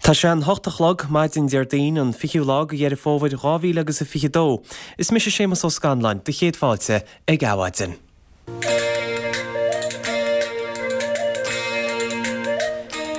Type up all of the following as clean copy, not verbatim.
Tá sé an hocht a chlog, maidin Déardaoin, an 20ú lá de Dheireadh Fómhair 2000 agus a 22. Is mise Séamus Ó Scanláin, do chéad fáilte ag Adhmhaidin.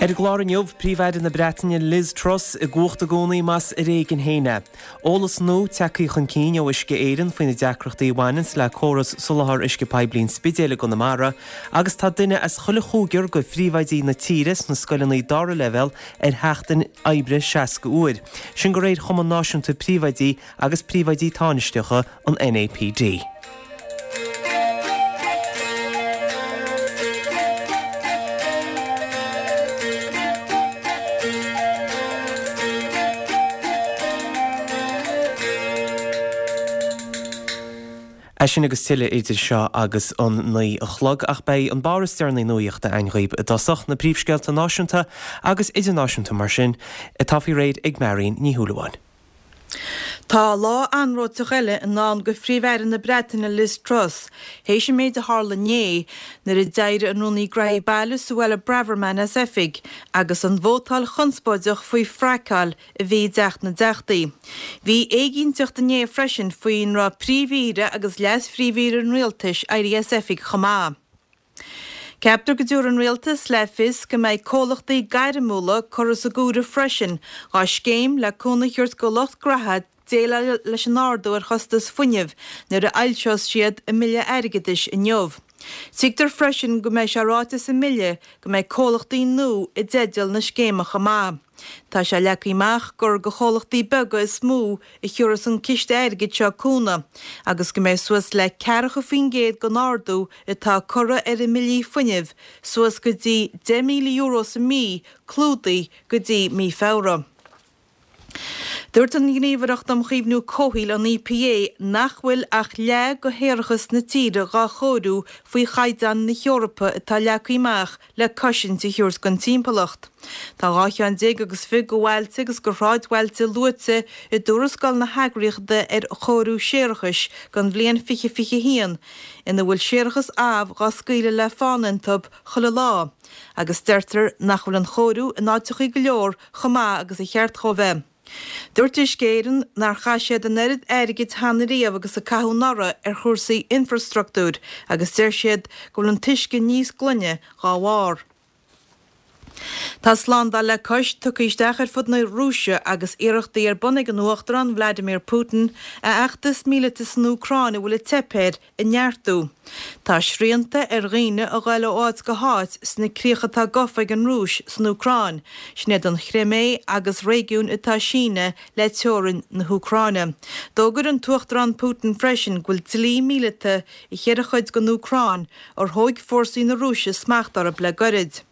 Ar an gclár inniu, Príomh-Aire na Breataine Liz Truss i gcumhacht i gcónaí más ar éigean féin é. Eolas nua tagtha chun cinn ó Uisce Éireann faoi na deacrachtaí a bhaineanns le córas soláthar uisce poiblí an Spidéil i gConamara agus tá duine as chuile chúigear de phríomhoidí na tíre sna scoileanna dara leibhéal ar sheachtain oibre 60 uair. Sin de réir Chumann Náisiúnta Príomhoidí agus Príomhoidí Tánaisteacha, an NAPD. É sin agus tuilleadh idir seo agus an 9 a chlog, ach beidh an barr is deireanaí nuaíochta againn dhaoib i dtosach, na príomhscéalta náisiúnta agus idirnáisiúnta mar sin, atá faoi réir ag Marion Ní Shúilleabháin. Tá lá anróiteach eile i ndán go Phríomh-Aire na Breataine Liz Truss théis an méid a tharla inné nuair a d'éirigh an Rúnaí Graithí Baile Suella Braverman as oifig agus an vótáil chonspóideach faoi fraiceáil a bhí i dTeach na dTeachtaí. Bhí éiginnteacht inné freisin faoin raibh Príomh-Aoire agus Leas-Phríomh-Aoire an Rialtais éirithe as oifig chomh maith. Ceaptar go dtabharfaidh an Rialtas le fios go mbeidh comhlachtaí gairmiúla curtha sa gcomhaireamh freisin dhá scéim le cúnamh a thabhairt go lucht graithe déileáil leis an ardú ar chostas fuinnimh nuair a fhoilseos siad a mbille airgeadais inniu. Tuigtear freisin go mbeidh sé ráite sa mbille go mbeidh comhlachtaí nua i dteideal na scéime chomh maith. Tá sé leagtha amach gur go chomhlachtaí beaga is mó a thiúrfas an ciste airgid seo cúnamh agus go mbeidh suas le 40% den ardú atá curtha ar a mbillí fuinnimh, suas go dtí €10,000 sa mí, clúdaithe go dtí mí Feabhra. Dúirt an Ghníomhaireacht um Chaomhnú Comhshaoil, an EPA, nach bhfuil ach leath de shéarachas na tíre dhá chóiriú faoi chaighdeáin na hEorpa atá leagtha amach le cosaint a thabhairt don timpeallacht. Tá 12 cheann agus fiche de bhailte agus de shráidbhailte luaite i dtuarascáil na heagraíochta ar chóiriú séarachais don bhliain 2021 ina bhfuil séarachas amh dhá scaoileadh le fána iontu chuile lá agus deirtear nach bhfuil an chóiriú in áiteachaí go leor chomh maith agus a cheart dhó bheith. Dúirt Uisce Éireann nár chaith siad an oiread airgid cheana riamh agus a caitheadh anuraidh ar chúrsaí infreastruchtúir agus deir siad go bhfuil an t-uisce níos glaine dhá bharr. Tá slándáil le cois tugtha isteach ar fud na Rúise agus iarrachtaí ar bun ag an Uachtarán Vladimir Putin a fheachtas míleata san Úcráin a bhfuil ag teip air a neartú. Tá srianta ar dhaoine a ghoil ó áit go háit sna críocha atá gafa ag an Rúis san Úcráin, sin iad an Chrimé agus réigiúin atá ag síneadh le teorainn na hÚcráine. D'fhógair an tUachtarán Putin freisin go bhfuil dlí míleata i cheithre chuid den Úcráin ar thóig fórsaí na Rúise smacht orthu le goirid.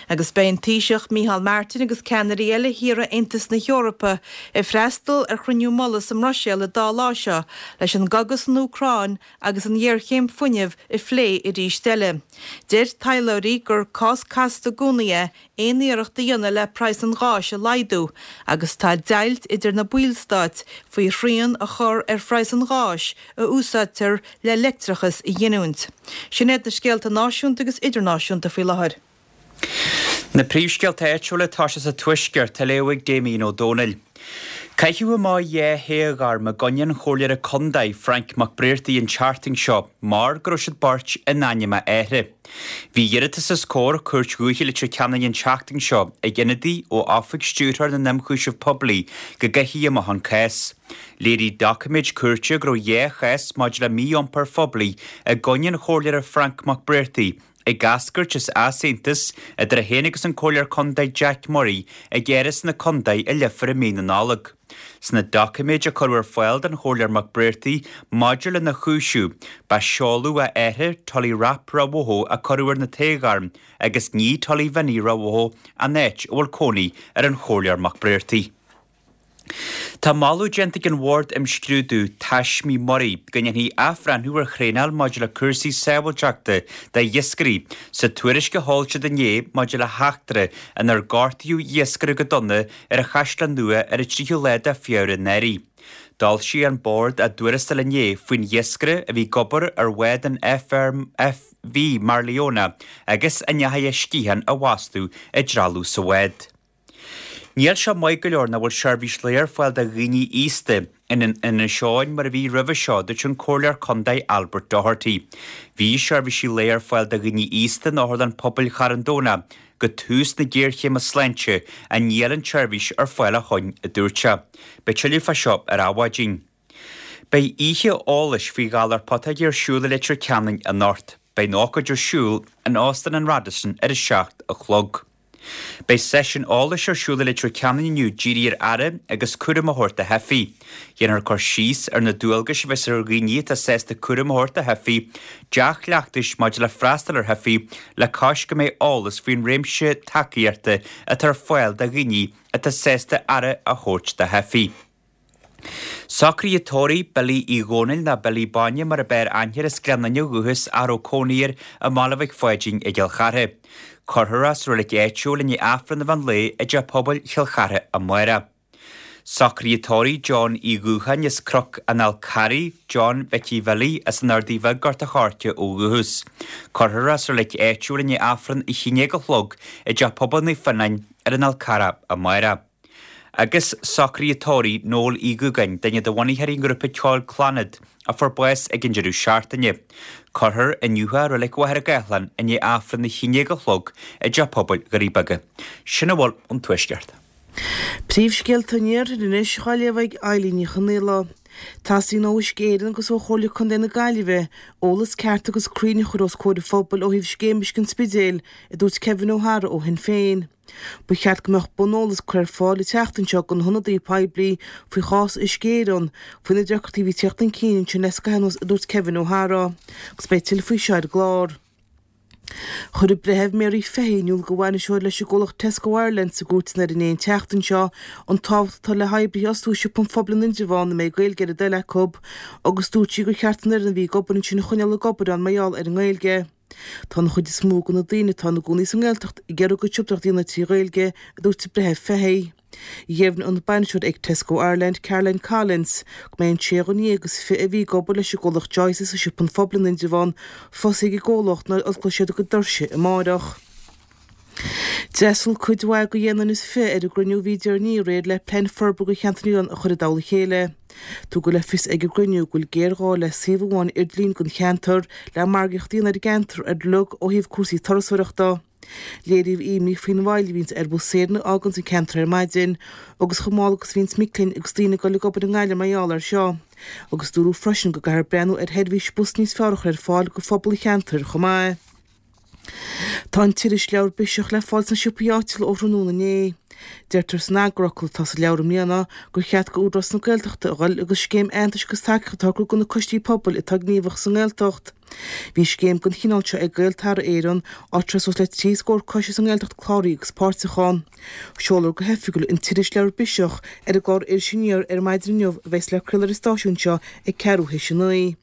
Agus beidh an Taoiseach Micheál Martin agus ceannairí eile thíortha Aontas na hEorpa ag freastal ar chruinniú mullaigh sa mBruiséil an dá lá seo leis an gcogadh san Úcráin agus an ghéarchéim fuinnimh a phlé arís eile. Deir taidhleoirí gur cás casta i gcónaí é aon iarracht a dhéanamh le praghas an gháis a laghdú agus tá deighilt idir na ballstáit faoi shrian a chur ar phraghas an gháis a úsáidtear le leictreachas a ghiniúint. Sin iad na scéalta náisiúnta agus idirnáisiúnta faoi láthair. Na príomhscéalta áitiúla atá sé sa Tuaisceart á léamh ag Damien Ó Dónaill. Caitheadh amach 2 thaoghairm i gcoinne an Chomhairleora Contae, Frank Mac Bréartaigh an tseachtain seo mar go raibh siad beirt in ainm a athara. Bhí iarratas os comhair Cúirt Dhúiche Leitir Ceanainn an tseachtain seo ag ionadaí ó Oifig Stiúrthóir na nIomchúiseamh Poiblí go gcaithfí amach an cás. Léirigh doiciméid cúirte go raibh 2 chás maidir le mí-iompar phoiblí i gcoinne an Chomhairleora Frank Mac Bréartaigh ag eascairt as easaontas idir é féin agus an Comhairleoir Contae Jack Murray ag Áras na Contae i Leifear i mí na Nollag. Sna doiciméid a cuireadh ar fáil don Chomhairleoir Mac Bréartaigh maidir lena chúiseamh, ba seoladh a athar, Tully Rap Rawoho, a cuireadh ar na toghairm agus ní Tully Vinny Rawoho an áit a bhfuil cónaí ar an Chomhairleoir Mac Bréartaigh. Tá moladh déanta ag an Bhord Imscrúdú Taismí Muirí go ndéanfaí athbhreithniú ar thraenáil maidir le cúrsaí sábháilteachta d'iascairí sa tuairisc a d'fhoilsigh siad inné maidir le heachtra inar gortaíodh iascaire go dona ar an Chaisleán Nua ar an 3ú lá de Feabhra anuraidh. D'fhoilsigh an Bord a dtuarascáil inné faoin iascaire a bhí ag obair ar bhád an FV Marleona agus a ndeachaigh a sciathán a bhastú i dtrealamh sa bhád. Níl seo maith go leor nach bhfuil seirbhís lae ar fáil do dhaoine aosta in Inis Eoghain mar a bhí roimhe seo, a dúirt an Comhairleoir Contae Albert Doherty. Bhí seirbhísí lae ar fáil do dhaoine aosta in Otharlann Pobail Charn Domhnach go tús na géarchéime sláinte ach níl an tseirbhís ar fáil ó shoin, a dúirt sé. Beidh tuilleadh fá seo ar Adhmhaidin. Beidh oíche eolais faoi ghalar putóige ar siúl i Leitir Ceanainn anocht. Beidh an ócáid ar siúl in Óstán an Radisson ar a 7 a chlog. Beidh seisiún eolais ar siúl i Leitir Ceanainn inniu dírithe ar aire agus cúram a thabhairt do theifigh. Dhéanfar cur síos ar na dualgais a bheas ar dhaoine atá sásta cúram a thabhairt do theifigh, dea-chleachtais maidir le freastal ar theifigh le cois go mbeidh eolas faoin réimse tacaíochta atá ar fáil do dhaoine atá sásta aire a thabhairt do theifigh. Socruithe tórraimh Billy Uí Dhónaill nó Billy Bainne mar a b'fhearr aithne air as Gleann Fhinne ó dhúchas ach a raibh cónaí air i mBaile Mhic Pháidín i gCill Chartha. Cuirfear é sa reilig áitiúil i ndiaidh Aifreann an mheán lae i dTeach Pobail Chill Chartha amárach. Socruithe tórraimh John Uí Dhúcháin as Cnoc an Fhál Carraigh, John Mhicí Bhilly as an Ardaidh Bheag Gort a' Choirce ó dhúchas. Cuirfear é sa reilig áitiúil i ndiaidh Aifreann a 11 a chlog i dTeach Pobail Naomh Fionnáin ar an Fhál Carrach amárach. Agus socruithe tórraimh Noel Uí Dhúgáin, duine de bhunaitheoirí an ghrúpa ceoil Clannad, a fuair bás ag an deireadh seachtaine. Cuirfear inniu é i Reilig Mhachaire Gathlán i ndiaidh Aifreann a 11 a chlog i dTeach Pobail Dhoirí Beaga. Sin a bhfuil ón Tuaisceart. Príomhscéalta an Iarthair anois dhá léamh ag Eilín Ní Chonaola. Teastaíonn ó Uisce Éireann agus ó Chomhairle Contae na Gaillimhe eolas ceart agus cruinn a chur os comhair an phobail ó thaobh Scéim Uisce an Spidéil, a dúirt Kevin O'Hara ó Shinn Féin. Ba cheart go mbeadh buneolas curtha ar fáil an tseachtain seo do na hionadaithe poiblí faoi chás Uisce Éireann, faoi na deacrachtaí a bhí ag teacht chun cinn ansin le scaitheamh anuas, a dúirt Kevin O'Hara. Agus beidh tuilleadh faoi seo ar an gclár. Chuir an Breitheamh Mary Fahy in iúl do bhainisteoir leis an gcomhlacht Tesco Ireland sa gcúirteanna ar inné an tseachtain seo an tábhacht atá le hoibrithe a fhostú i siopa an phobail in Indreabhán a mbeidh Gaeilge ar a dtoil acu agus dúirt sí gur cheart an fhoireann a bhí ag obair ansin a choinneáil ag obair ann mar gheall ar an nGaeilge. Tá an chuid is mó de na daoine atá ina gcónaí sa nGaeltacht ag iarraidh a gcuid siopadóireachta a dhéanamh trí Ghaeilge, a dúirt an Breitheamh Fahy. Dheimhnigh an bainisteoir ag Tesco Ireland, Caroline Collins, go mbeidh an sé dhuine dhéag agus 20 a bhí ag obair leis an gcomhlacht Joyce's i siopa an phobail in Indreabhán fostaithe ag an gcomhlacht nuair a osclóidh siad a gcuid doirse amárach. D'fhreastail cuid mhaith de dheich nduine is 20 ar an gcruinniú a bhí deireanaí aréir le plean forbartha do cheantar na nOileán a chur i dtoll a chéile. Tugadh le fios ag an gcruinniú go bhfuil géarghá le suíomh amháin idirlín don cheantar le margaíocht a dhéanamh ar an gceantar ar log ó thaobh cúrsaí turasóireachta. Léiríodh imní faoin mhoill a bhíonns ar bhus Éireann a fháganns an ceantar ar maidin agus chomh mall agus a bhíonns mic léinn agus daoine ag dul ag obair i nGaillimh mar gheall air seo. Agus dúradh freisin go gcaithfear breathnú ar sheirbhís bus níos fearr a chur ar fáil do phobal an cheantair chomh maith. Tá an t-irisleabhar Biseach le fáil sna siopaí áitiúla ó thráthnóna inné. Deirtear san eagarfhocal atá sa leabhar i mbliana gur cheart go Údarás na Gaeltachta a dhul agus scéim aitheantais agus tacaíochta a shocrú do na coistí pobail atá gníomhach sa nGaeltacht. Bhí scéim den chineál seo ag Gaeltarra Éireann, áit a raibh suas le 30 scór coiste sa nGaeltacht cláraithe agus páirteach ann. Seolfar go hoifigiúil an t-irisleabhar Biseach ar an gclár Iris Aniar ar maidin inniu a bheas le craoladh ar an stáisiún seo ag ceathrú théis a 9.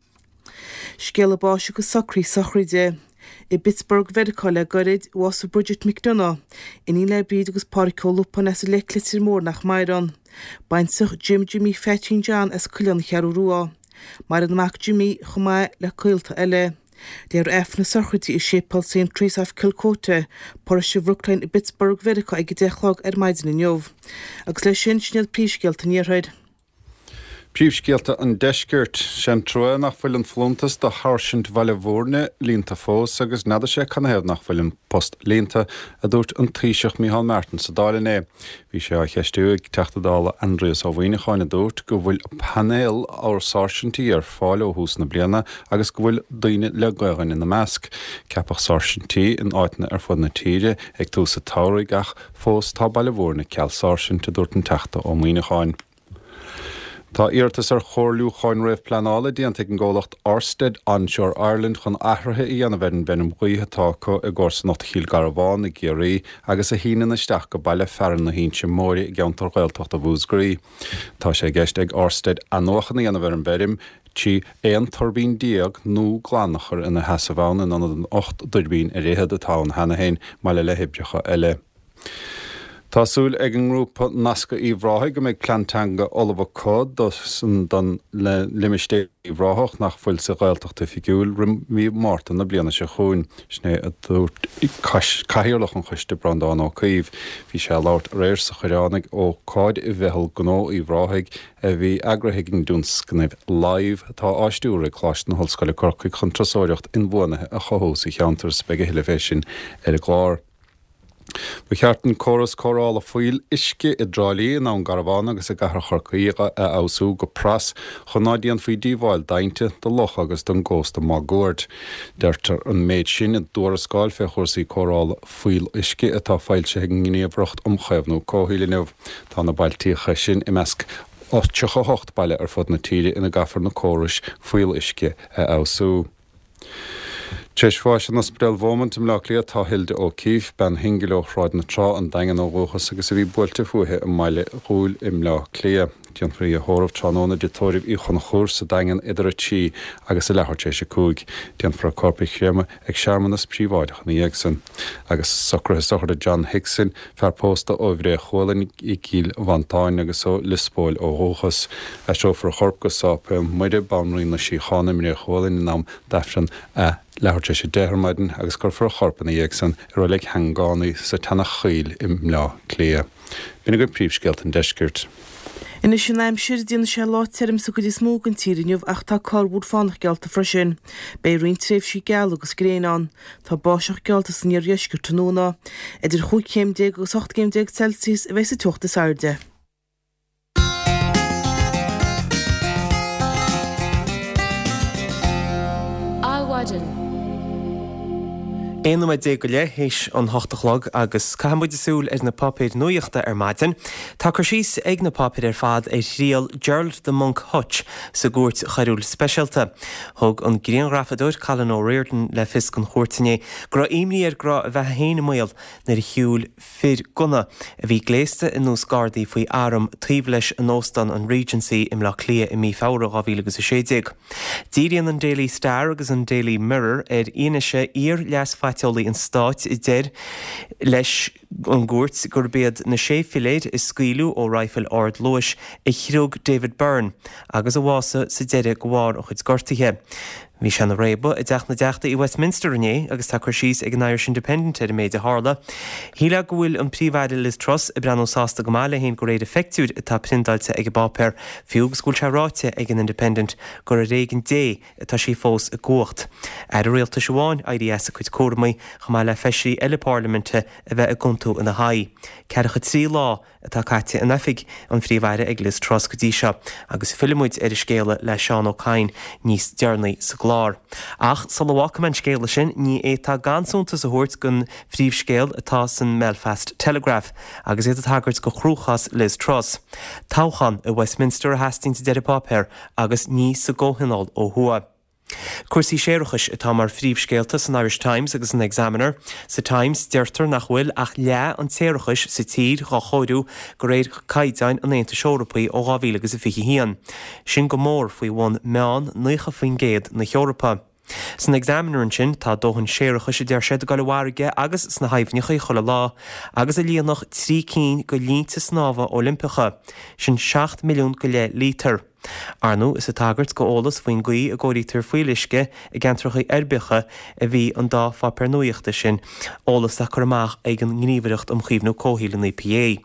Scéala báis agus socruithe sochraide. I bPittsburgh, Mheiriceá le gairid, bhásaigh Bridget McDonagh, iníon le Bríd agus Pádraic Ó Lupáin as an Leic, Leitir Móir nach maireann. Baintreach Jim Jimmy Pheaitín John as Coileán na Ceathrú Rua. Maireann a mac Jimmy chomh maith le gaolta eile. Léifear Aifreann na sochraide i Séipéal Saint Teresa of Calcutta, Paróiste Bhrookline i bPittsburgh, Mheiriceá ag 10 a chlog ar maidin inniu. Agus leis sin, sin iad príomhscéalta an Iarthair. Príomhscéalta an Deiscirt. Sé'n trua nach bhfuil an folúntas do Sháirsint Bhaile Bhúirne líonta fós agus n'fheadar sé canathaobh nach bhfuil an post líonta, a dúirt an Taoiseach Micheál Martin sa Dáil inné. Bhí sé á cheistiú ag Teachta Dála Aindrias Ó Muimhneacháin a dúirt go bhfuil painéal úr sáirsintí ar fáil ó thús na bliana agus go bhfuil daoine le Gaelainn ina measc. Ceapadh sáirsintí in áiteanna ar fud na tíre ag tús an tsamhraidh ach fós tá Baile Bhúirne ceal sáirsint, a dúirt an Teachta Ó Muimhneacháin. Tá iarratas ar chomhairliúcháin réamhpleanála déanta ag an gcomhlacht Orsted Onshore Ireland chun athruithe a dhéanamh ar an bhfeirm ghaoithe atá acu i gcomharsanacht Chill Garbháin i gCiarraí agus a shíneann isteach go baile fearainn na hInse Móire i gceantar Ghaeltachta Mhúscraí. Tá sé i gceist ag Orsted athnuachan a dhéanamh ar an bhfeirm 13 aon tuirbín nua glan a chur ina sheasamh ann in ionad an 18 dtuirbín ar fhichead atá ann cheana féin, maille le hoibreacha eile. Tá súil ag an ngrúpa Nascadh Uíbh Ráthaigh go mbeidh plean teanga ullamh acu don limistéar Uíbh Ráthach nach bhfuil sa Ghaeltacht oifigiúil roimh mhí Márta na bliana seo chugainn. Sin é a dúirt Cathaoirleach an choiste, Breandán Ó Caoimh. Bhí sé ag labhairt aréir sa Choireán ag ócáid i Mheitheal Gnó Uíbh Ráthaigh a bhí eagraithe ag an dtionscnamh Live atá á stiúradh ag Coláiste na hOllscoile Corcaigh chun turasóireacht inbhuanaithe a chothú sa cheantar. Beidh a thuilleadh fé sin ar an gclár. Ba cheart an córas cóireála fuíoll uisce i dTrá Lí, i nDún Garbhán agus i gcathair Chorcaí a fheabhsú go pras chun ná déanfaí díobháil d'ainnte, do locha agus don gcósta máguaird. Deirtear an méid sin i dtuarascáil fé chúrsaí cóireála fuíoll uisce atá foilsithe ag an nGníomhaireacht um Chaomhnú Comhshaoil inniu. Tá na bailtíocha sin i measc 38 baile ar fud na tíre ina gcaithfear na córais fuíoll uisce a fheabhsú. Tar éis bháis in Ospidéal Beaumont i mBleá Cliath tá Hilda O'Keeffe, bean shingil ó Shráid na Trá, an Daingean ó dhúchas agus a bhí buailte fúithi i mBaile Dhúill i mBleá Cliath. Déanfar í a thórramh tráthnóna i dTigh Tórraimh Uí Chonchúir sa Daingean idir a 3 agus a leathuair tar éis a 5. Déanfar a corp a chréamadh ag searmanas príobháideach ina dhiaidh san. Agus socruithe sochraide John Hickson, fear pósta ó Bhré Chualainn i gCill Mhantáin agus ó Liospóil ó dhúchas. Aistreofar a chorp go Sáipéal Muire, Banríon na Síochána i mBré Chualainn in am d'Aifreann a leathuair tar éis 10 ar maidin agus cuirfear a chorp ina dhiaidh san i Reilig Sheangánaí sa tSeanach Choill i mBleá Cliath. B'in agaibh príomhscéalta an deiscirt. Anois an aimsir, déanfaidh sé lá tirim sa gcuid is mó den tír inniu ach tá corrmhúr fánach geallta freisin. Beidh roinnt tréimhsí geala agus gréine ann. Tá báisteach geallta san iardheisceart tráthnóna. Idir chúig chéim déag agus 18 gcéim Celsius a bheidh sa teocht is airde. Adhmhaidin. 11 nóiméad go leith théis an hocht a chlog agus caithfidh muid súil ar na páipéir nuachta ar maidin. Tá cur síos ag na páipéir ar fad ar thriail Gerald 'The Monk' Hutch sa gCúirt Choiriúil Speisialta. Thug an grianghrafadóir Colin O'Riordan le fios don chúirt inné go raibh imní air go raibh a bheatha féin i mbaol nuair a shiúil fir gunna a bhí gléasta ar nós Gardaí faoi arm taobh leis in Óstán an Regency i mBleá Cliath i mí Feabhra 2016. Díríonn an Daily Star agus an Daily Mirror ar fhianaise iar-leas-phaiteolaí an stáit a deir leis an gcúirt gurb iad na sé philéid a scaoileadh ó raidhfil ardluais a chriog David Byrne agus a bhásaigh sa deireadh de bharr a chuid gortuithe. Bhí sé ina réabadh i dTeach na dTeachtaí i Westminster inné agus tá cur síos ag an Irish Independent ar an méid a tharla. Shílfeá go bhfuil an Príomh-Aire Liz Truss ag breathnú sásta go maith léi féin de réir an phictiúir atá priondáilte ag an bpáipéar, fiú agus go bhfuil sé ráite ag an Independent gur ar éigean Dé atá sí fós i gcumhacht. Aire rialtais amháin éirí as a cuid cúramaí chomh maith le feisirí eile parlaiminte a bheith ag aontú ina haghaidh. Ceathracha 3 lá atá caite in oifig an Phríomh-Aire ag Liz Truss go dtí seo agus fillfidh muid ar an scéala le Seán Ó Cadhain níos deireanaí sa gclár. Ach sula bhfágfaidh mé an scéala sin, ní fhéadfá gan suntas a thabhairt don phríomhscéal atá san mBelfast Telegraph agus iad ag tagairt do chruachás Liz Truss. Toghchán i Westminster a theastaíonns a deir an páipéar agus ní sa gComhthionól ó thuaidh. Cúrsaí séarachais atá mar phríomhscéalta san Irish Times agus san Examiner. Sa Times, deirtear nach bhfuil ach leath an tséarachais sa tír dhá chóiriú de réir caighdeáin an Aontais Eorpaigh ó 2021. Sin go mór faoi bhun meán 90% na hEorpa. San Examiner ansin, tá dóthain séarachais a deir siad ag dul i bhfarraige agus sna haibhneacha chuile lá agus a líonfadh trí cinn de línte snámha Oilimpeacha. Sin 7 milliún go leith líotar. Ar ndóigh, is ag tagairt go eolas faoin gcaoi a gcóirítear fuíolluisce i gceantracha uirbeacha a bhí an dá pháipéar nuachta sin, eolas atá curtha amach ag an nGníomhaireacht um Chaomhnú Comhshaoil, an EPA.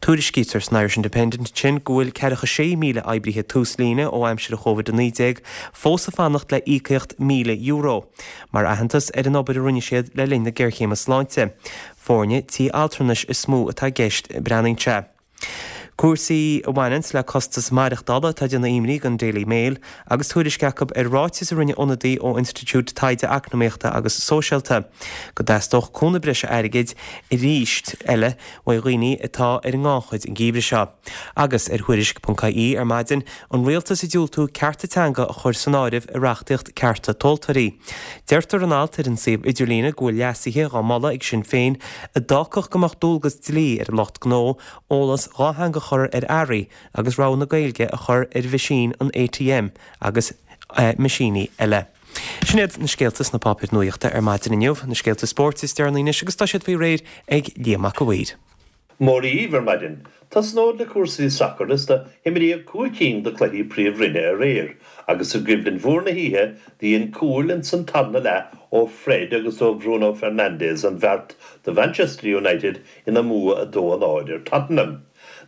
Tuairiscítear san Irish Independent ansin go bhfuil 46,000 oibrithe túslíne ó aimsir Covid-19 fós ag fanacht le íocaíocht €1,000 mar aitheantas ar an obair a rinne siad le linn na géarchéime sláinte. Foirne tí altranais is mó atá i gceist, breathnaíonn sé. Cúrsaí a bhaineanns le costas maireachtála atá ag déanamh imní don Daily Mail agus tuairisc acu ar ráiteas a rinne ionadaí ó Institiúid Taighde Eacnamaíochta agus Sóisialta go dteastódh cúnamh breise airgid arís eile uaidh dhaoine atá ar an ngannchuid an geimhreadh seo. Agus ar Thuairisc.ie ar maidin, an rialtas ag diúltú cearta teanga a chur san áireamh i reachtaíocht cearta tomhaltóirí. Deirtear in alt ar an suíomh idirlíne go bhfuil leasuithe dhá moladh ag Sinn Féin a d'fhágfadh go mbeadh dualgas dlí ar an lucht gnó eolas dhátheangach a chur ar earraí agus rogha na Gaeilge a chur ar mheaisín an ATM agus meaisíní eile. Sin iad na scéalta sna páipéir nuachta ar maidin inniu. Na scéalta spóirt is deireanaí anois agus tá siad faoi réir ag Liam Mac a' Mhaoir. Mora dhaoibh ar maidin. Tosnód le cúrsaí sacair is do himríodh 5 cinn de chluichí Príomh-Roinne aréir agus i gcoimhlint mhór na hoíche do dhein cúil ins an tarna leath ó Fred agus ó Bhruno Fernandes an bheart do Mhanchester United ina mbua 2-0 ar Tottenham.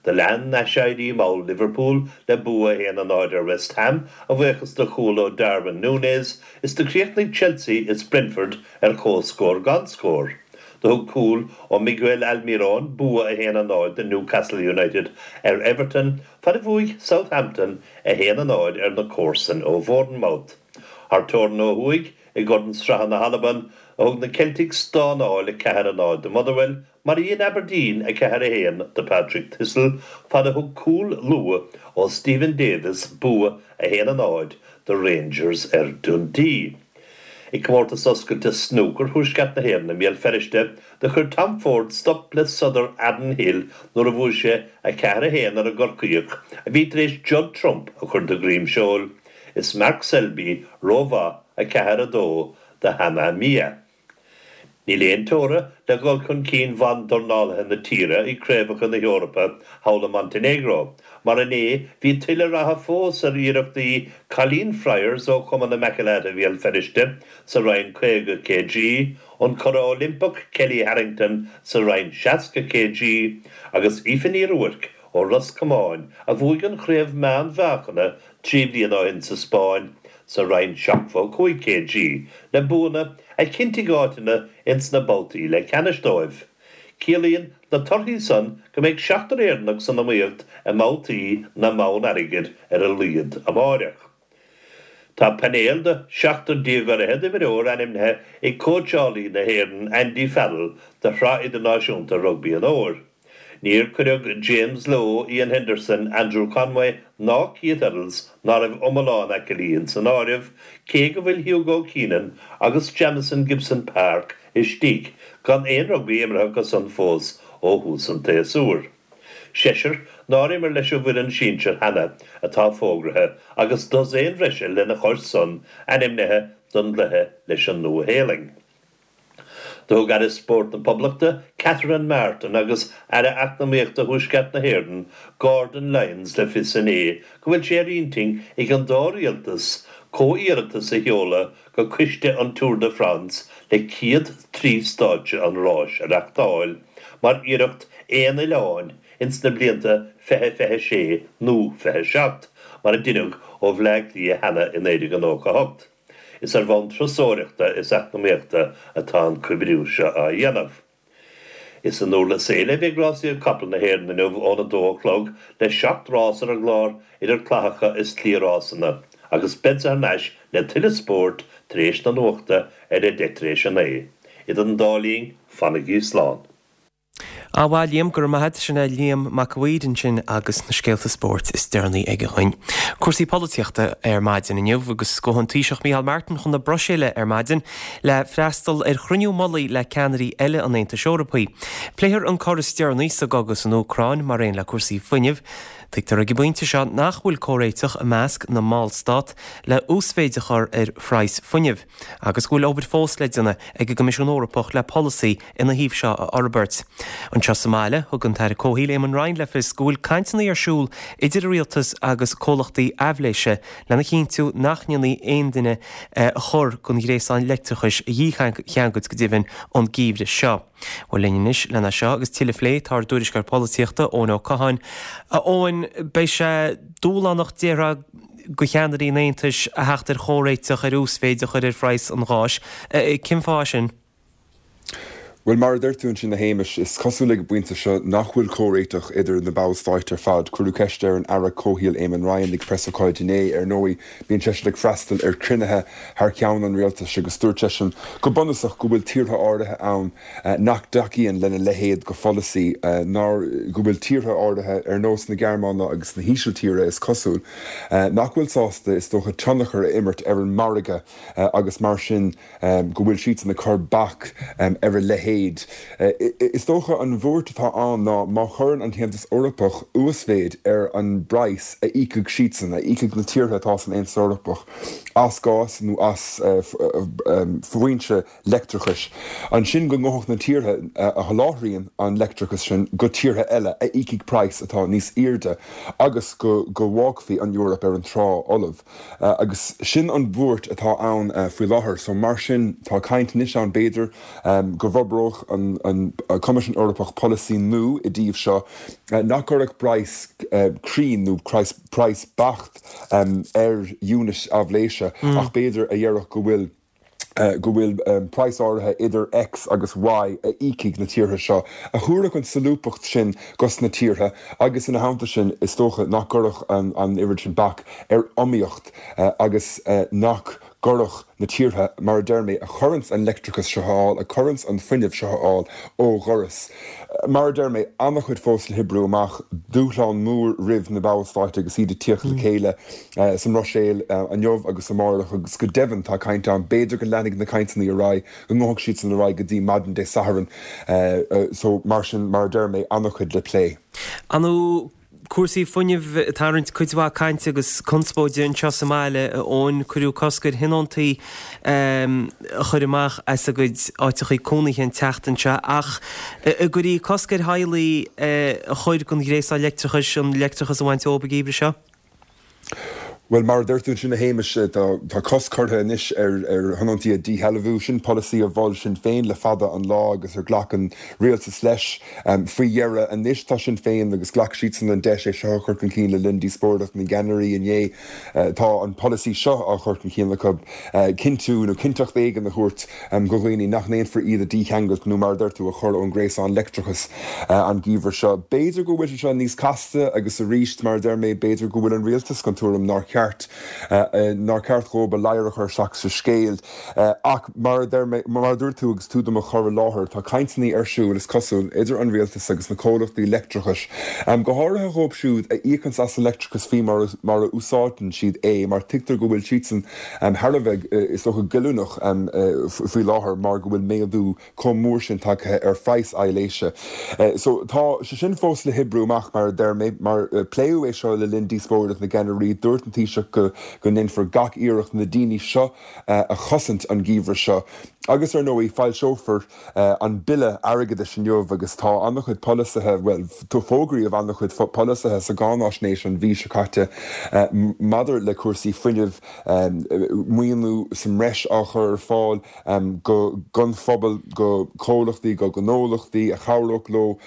Do lean aiséirí mall Liverpool le bua 1-0 ar West Ham a bhuíochas do chúl ó Darwin Núñez is do chríochnaigh Chelsea is Brentford ar comhscór gan scór. Do thug cúl ó Miguel Almirón bua 1-0 do Newcastle United ar Everton fad a bhuaigh Southampton 1-0 ar na comharsain ó Bhournemouth. Thar teorainn ó thuaidh, i gCorn Sraithe na hAlban, a thug na Celtics stánáil 4-0 do Motherwell mar a dhein Aberdeen 4-1 do Partick Thistle fad a thug cúl luath ó Steven Davis bua 1-0 do Rangers ar Dundee. I gComórtas Oscailte Snúcair Thuaisceart na hÉireann i mBéal Feirste, do chuir Tom Ford stop le sodar Aaron Hill nuair a bhuaigh sé 4, 1 ar an gCorcaíoch a bhí tar éis Judd Trump a chur de dhroim seoil. Is Mark Selby rómhaith 4, 2 do Hama Miya. Níl aon teora le dhul chun cinn bhandornálaithe na tíre i gCraobhacha na hEorpa thall i Montenegro, mar inné bhí tuilleadh ratha fós ar iarrachtaí Colleen Fryers ó Chumann Immaculata Bhéal Feirste sa roinn 50 kg, an curadh Oilimpeach Kellie Harrington sa roinn 60 kg agus Aoife Ní Ruairc ó Ros Comáin a bhuaigh an chraobh meánmheáchana 3 bliana ó shin sa Spáinn sa roinn 75 kg, le buanna a chinntigh áiteanna ins na babhtaí leathcheannais dóibh. Ciallaíonn na torthaí san go mbeidh seachtar Éireannach san iomaíocht i mbabhtaí na mbonn airgid ar a laghad amáireach. Tá painéal de sheachtar déag ar fhichead imreoir ainmnithe ag cóitseálaí na hÉireann Andy Farrell do Shraith Idirnáisiúnta Rugbaí an Fhómhair. Níor cuireadh James Lowe, Iain Henderson, Andrew Conway ná Keith Earls ná raibh iomlán aicillí ins an áireamh, cé go bhfuil Hugo Keenan agus Jamison Gibson-Park istigh gan aon rugbaí imeartha acu san fós ó thús an tséasúir. Seisear nár imir leis an bhfoireann sinsir cheana atá fógraithe agus dosaen bhreise lena chois san ainmnithe don gcluiche leis an Nua-Shéalainn. Do thug Aire Spóirt na Poblachta, Catherine Martin agus Aire Eacnamaíochta Thuaisceart na hÉireann, Gordon Lyons le fios inné go bhfuil sé ar intinn ag an dá rialtas comhiarratas a sheoladh go Coiste an Tour de France le céad trí stáitse an ráis a reachtáil mar iarracht aon oileáin ins na blianta 2026 nó 27 mar a deineadh ó Bhleá Cliath cheana i 1998. Is ar bhonn turasóireachta is eacnamaíochta atá an comhoibriú seo á dhéanamh. Is i nDurlas Éile a bheidh rásaíocht capall na hÉireann inniu óna dó a chlog le 7 rás ar an gclár idir clathacha is cliathrásanna agus beadsa thar n-ais le tuilleadh spóirt tar éis na nuachta ar a deich tar éis a naoi. Idir an dá linn, fanaigí slán. Á bhuel, Liam, go raibh maith agat. Sin é Liam Mac a' Mhaoir ansin agus na scéalta spóirt is deireanaí aige dhuinn. Cúrsaí polaitíochta ar maidin inniu agus gabhfaidh an Taoiseach Micheál Martin chun na Bruiséile ar maidin le freastal ar chruinniú mullaigh le ceannairí eile an Aontais Eorpaigh. Pléifear an cor is deireanaí sa gcogadh san Úcráin mar aon le cúrsaí fuinnimh. Tuigtear ag an bpointe seo nach bhfuil comhréiteach i measc na mballstát le uasmhéid a chur ar phraghas fuinnimh. agus go bhfuil obair fós le déanamh ag an gCoimisiún Eorpach le polasaí ina thaobh seo a fhorbairt. Anseo sa mbaile, thug an tAire Comhshaoil Eamon Ryan le fios go bhfuil cainteanna ar siúl idir an Rialtas agus comhlachtaí aibhléise lena chinntiú nach ndéanfaí aon duine chor den ghréasán leictreachais a dhícheangailt go deimhin an geimhreadh seo. Bhuel linn anois lena seo agus tuilleadh a phlé tá ár dtuairisceoir polaitíochta Eoin Ó Catháin. A Eoin, beidh sé dúshlánach déarfá do cheannairí an Aontais a theacht ar chomhréiteach ar uasmhéid a chur ar phraghas an gháis. Cén fáth é sin? Bhuel, mar a deir tú ansin, a Shéamais, is cosúil ag an bpointe seo nach bhfuil comhréiteach idir na ballstáit ar fad. Cuireadh ceist ar an Aire Comhshaoil Eamon Ryan ag preasócáid inné. Ar ndóigh, bíonn seisean ag freastal ar chruinnithe thar ceann an rialtais agus dúirt seisean go bunúsach go bhfuil tíortha áirithe ann nach dtacaíonn lena leithéid de pholasaí, ná go bhfuil tíortha áirithe, ar nós na Gearmáine agus na hÍsiltíre, is cosúil, nach bhfuil sásta, is dócha, tionchar a imirt ar an margadh agus mar sin go bhfuil siadsan ag cur bac ar a leithéid. mhéid. Is dócha an bhuairt atá ann ná má chuireann an tAontas Eorpach uasmhéid ar an bpraghas a íocfaidh siadsan, a íocfaidh na tíortha atá san Aontas Eorpach as gás nó as foinse leictreachais, ansin go ngabhfadh na tíortha a sholáthraíonn an leictreachas sin go tíortha eile a íocfaidh praghas atá níos airde agus go bhfágfaí an Eoraip ar an trá fholamh. Agus sin an bhuairt atá ann faoi láthair. So mar sin tá caint anois ann b'fhéidir go bhforbródh an Coimisiún Eorpach polasaí nua i dtaobh seo nach gcuirfeadh praghas cruinn nó praghas beacht ar unit aibhléise ach b'fhéidir a dhéarfadh go bhfuil go bhfuil praghas áirithe idir X agus Y a íocfaidh na tíortha seo, a thabharfadh an solúbthacht sin dos na tíortha agus ina theannta sin is dócha nach gcuirfeadh an oiread sin bac ar iomaíocht agus nach gcuirfeadh na tíortha, mar a deir mé, a chuireanns an leictreachas seo ar fáil, a chuireanns an fuinneamh seo ar fáil ó dhoras. Mar a deir mé, an-chuid fós le hoibriú amach, dúshlán mór roimh na ballstáit agus iad ag tíocht le chéile sa mBruiséil inniu agus amárach agus go deimhin tá caint ann, b'fhéidir go leanfaidh na cainteanna ar aghaidh, go ngabhfaidh siadsan ar aghaidh go dtí maidin Dé Sathairn. So, mar sin, mar a deir mé, an-chuid le plé. Ar ndóigh cúrsaí fuinnimh ag tarraingt cuid mhaith cainte agus conspóide anseo sa mbaile, a Eoin. Cuireadh cosc ar thionóntaí a chur amach as a gcuid áiteachaí cónaithe an tseachtain seo ach an gcuirfí cosc ar theaghlaigh a chur den ghréasán leictreachais an leictreachas a bhaint dóibh an geimhreadh seo? Bhuel, mar a deir tú ansin, a Shéamais, tá cosc curtha anois ar thionóntaí a dhíshealbhú. Sin polasaí a mhol Sinn Féin le fada an lá agus ar ghlac an rialtas leis faoi dheireadh. Anois tá Sinn Féin, agus ghlac siadsan an deis é seo a chur chun cinn le linn díospóireacht na gceannairí inné, tá an polasaí seo á chur chun cinn acu, cinntiú nó cinnteacht éigin a thabhairt do dhaoine nach ndéanfar iad a dhícheangailt nó, mar a deir tú, a chur ón ngréasán leictreachais an geimhreadh seo. B'fhéidir go bhfuil sé seo níos casta agus arís, mar a deir mé, b'fhéidir go bhfuil an rialtas den tuairim nár cheart, nár cheart dhóibh a ladhar a chur isteach sa scéal. Ach mar a deir mé, mar a dúirt tú agus tú do mo chur i láthair, tá cainteanna ar siúl, is cosúil, idir an rialtas agus na comhlachtaí leictreachais, go háirithe dhóibh siúd a íocanns as an leictreachas faoi mar a úsáideann siad é, mar tuigtear go bhfuil siadsan thar a bheith, is dócha, goilliúnach faoi láthair mar go bhfuil méadú chomh mór sin tagtha ar phraghas aibhléise. So, tá sé sin fós le hoibriú amach, mar a deir mé, mar pléadh é seo le linn díospóireacht na gceannairí. Dúirt an Taoiseach go go ndéanfar gach iarracht na daoine seo a chosaint an geimhreadh seo. Agus, ar ndóigh, foilseofar an Bille Airgeadais inniu agus tá an-chuid polasaithe, bhuel, fógraíodh an-chuid polasaithe sa gcáináisnéis an mhí seo caite maidir le cúrsaí fuinnimh, maoiniú sa mbreis á chur ar fáil don phobal, do chomhlachtaí, do ghnólachtaí a chabhródh leo,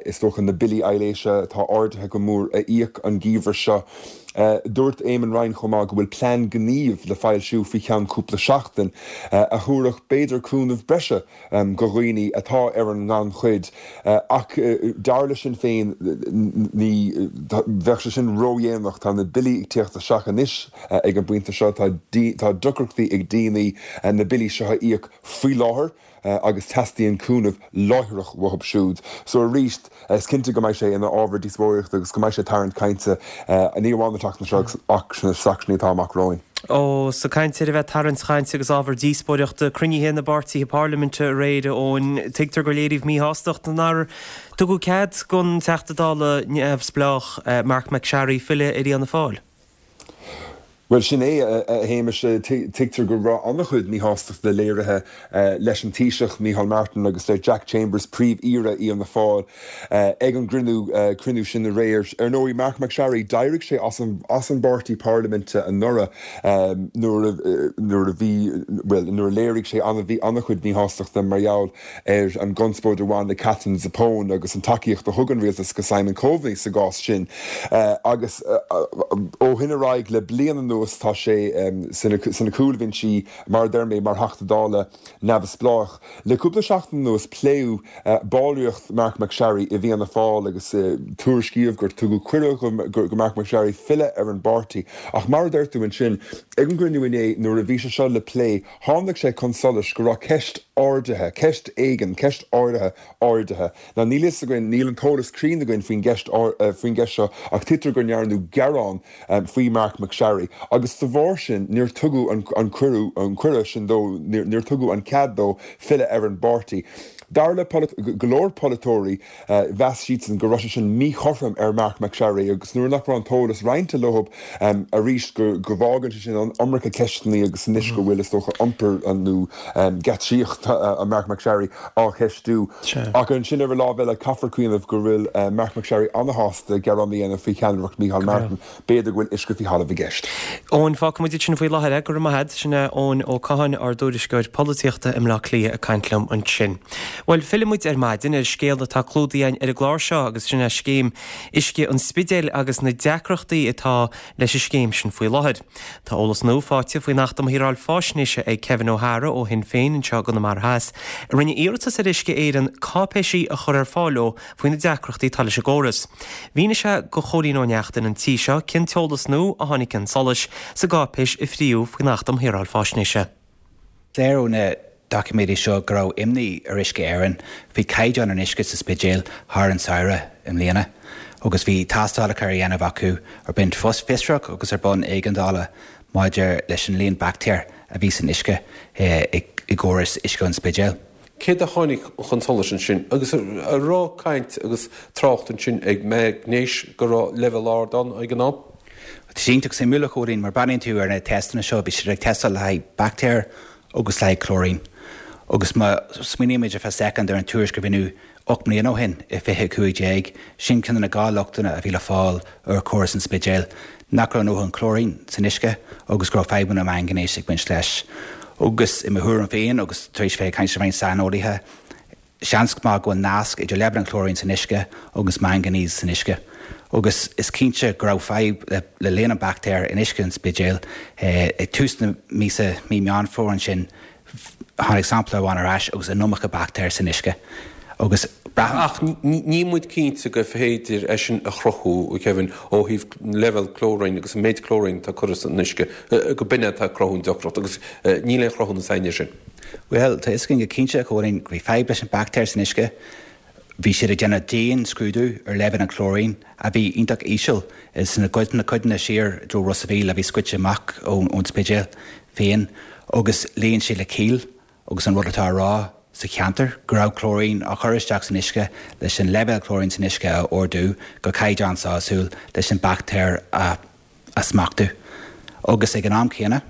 is dócha, na billí aibhléise atá ardaithe go mór a íoc an geimhreadh seo. Dúirt Eamon Ryan chomh maith go bhfuil plean gnímh le foilsiú faoi cheann cúpla seachtain a thabharfadh b'fhéidir cúnamh breise do dhaoine atá ar an ngannchuid ach dar le Sinn Féin ní bheadh sé sin ródhéanach. Tá na billí ag tíocht isteach anois ag an bpointe seo. Tá deacrachtaí ag daoine na billí seo a íoc faoi láthair. agus teastaíonn cúnamh láithreach uathu siúd. So arís, is cinnte go mbeidh sé ina ábhar díospóireachta agus go mbeidh sé ag tarraingt cainte, ní amháin an tseachtain seo ach sna seachtainí atá amach romhainn. Ó, is ag caint ar a bheith ag tarraingt cainte agus ábhar díospóireachta, cruinnithe na bpáirtithe parlaiminte aréir, a Eoin, tuigtear gur léiríodh míshástacht nár tugadh cead don Teachta Dála neamhspleách Marc MacSharry filleadh ar Fhianna Fáil. Bhuel, sin é, a Shéamais. Tuigtear go raibh an-chuid míshástachta léirithe leis an Taoiseach, Micheál Martin, agus le Jack Chambers, Príomh-Aoire Fhianna Fáil, ag an gcruinniú cruinniú sin aréir. Ar ndóigh, Marc MacSharry, d'éirigh sé as an as an bpáirtí parlaiminte anuraidh nuair a nuair a bhí, bhuel, nuair a léirigh sé an-chuid míshástachta mar gheall ar an gconspóid a bhain le Katherine Zappone agus an tacaíocht a thug an rialtas go Simon Coveney sa gcás sin. Agus ó shin ar aghaidh, le bliain anuas, tá sé sna cúlbhinsí, mar a deir mé, mar Theachta Dála neamhspleách. Le cúpla seachtain anuas, pléadh ballraíocht Marc MacSharry i bhFianna Fáil agus tuairiscíodh gur tugadh cuireadh go Marc MacSharry filleadh ar an bpáirtí. Ach mar a deir tú ansin, ag an gcruinniú inné nuair a bhí sé seo le plé, Tháinig sé chun solais go raibh ceist ardaithe, ceist éigin, ceist áirithe ardaithe. Now níl fhios againn, níl an t-eolas cruinn againn faoin gceist, faoin gceist seo ach tuigtear go ndearnadh gearán faoi Marc MacSharry. Agus de bharr sin, níor tugadh an cuireadh, an cuireadh sin dó, níor tugadh an cead dó filleadh ar an bpáirtí. Dar le go leor polaiteoirí, mheas siadsan go raibh sé sin míchothrom ar Marc MacSharry agus nuair nach raibh an t-eolas roinnte leo arís go bhfágann sé sin an iomarca ceisteanna agus anois go bhfuil, is dócha, iompar nó geáitsíocht Marc MacSharry á cheistiú. Ach ansin ar an lámh eile caithfear cuimhneamh go bhfuil Marc MacSharry an-shásta gearán a dhéanamh faoi cheannaireacht Micheál Martin. B'fhéidir go bhfuil uisce faoi thalamh i gceist. Eoin, fágfaidh muid ansin faoi láthair é. Go raibh maith agat. Sin é Eoin Ó Catháin, ár dtuairisceoir polaitíochta i mBleá Cliath ag caint liom ansin. Bhuel, fillfidh muid ar maidin ar scéal atá clúdaithe againn ar an gclár seo agus sin é scéim uisce an Spidéil agus na deacrachtaí atá leis an scéim sin faoi láthair. Tá eolas nua faighte faoin Acht um Shaoráil Faisnéise ag Kevin O'Hara ó Shinn Féin anseo i gConamara Theas, a rinne iarratas ar Uisce Éireann cáipéisí a chur ar fáil dó faoi na deacrachtaí atá leis an gcóras. Mhínigh sé do Chóilín Ó Neachtain an tí seo cén t-eolas nua a tháinig chun solais sa gcáipéis a fríodh faoin Acht um Shaoráil Faisnéise. Léir ó na doiciméidí seo go raibh imní ar Uisce Éireann faoi chaighdeán an uisce sa Spidéal thar an samhradh i mbliana agus bhí tástálacha á dhéanamh acu ar bhonn fiosrach agus ar bhonn éigeandála maidir leis an líon baictéar a bhí san uisce i gcóras uisce an Spidéil. Céard a tháinig chun solais ansin? Agus an raibh caint agus trácht ansin ag maingnéis go raibh leibhéal ard ann ag an am? Tá sé iontach suimiúil, a Chóilín, mar breathnaíonn tú ar na teisteanna seo, bhí siad ag tástáil le haghaidh baictéir agus le haghaidh clóirín. Agus má smaoinímid ar feadh soicind ar an tuairisc a rinneadh 8 mbliana ó shin i 2015, sin ceann de na 2 lochtanna a bhí le fáil ar chóras an Spidéil, nach raibh a ndóthain clóirín san uisce agus go raibh fadhbanna maingainéis ag baint leis. Agus i mo thuairim féin, agus tar éis bheith ag caint le roinnt saineolaithe, seans maith go bhfuil nasc idir leibhéal an chlóirín san uisce agus manganese san uisce. Agus is cinnte go raibh fadhb le líon an baictéar in uisce an Spidéil. Ag tús na míosa, mí Meán Fómhair ansin, Tháinig sampla amháin ar ais agus an iomarca baictéar san uisce agus braithim. Ach níl muid cinnte gur féidir é sin a chruthú, a Kevin, ó thaobh leibhéal clóirín agus an méid clóirín atá curtha san uisce, go b'in é atá ag cruthú an deacracht agus níl aon chruthúnas againn air sin. Bhuel, tá fhios againn go cinnte, a Chóilín, go bhí fadhb leis an baictéar san uisce. Bhí siad ag déanamh dian-scrúdú ar leibhéal an chlóirín, a bhí iontach íseal sna codanna siar i dtreo Ros a' Mhíl a bhí scoite amach ón Spidéal féin, agus luíonn sé le ciall agus an rud atá á rá sa cheantar, go raibh clóirín á chur isteach san uisce leis an leibhéal clóirín san uisce a ardú go caighdeán sásúil leis an baictéar a a smachtú, agus ag an am céanna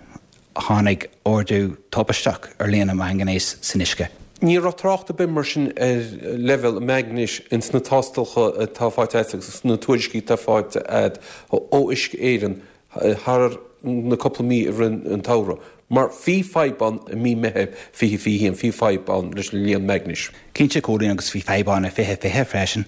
tháinig ardú tubaisteach ar líon an mhaingainéis san uisce. Ní raibh trácht ar bith mar sin ar leibhéal an mhaingainéis ins na tástálacha atá faighte agat agus sna tuairiscí atá faighte agat ó Uisce Éireann thar na cúpla mí i rith an tsamhraidh. Mar bhí fadhb ann i mí Meitheamh 2021, bhí fadhb ann leis an líon maingainéis. Cinnte, a Chóilín, agus bhí fadhb ann i 2020 freisin,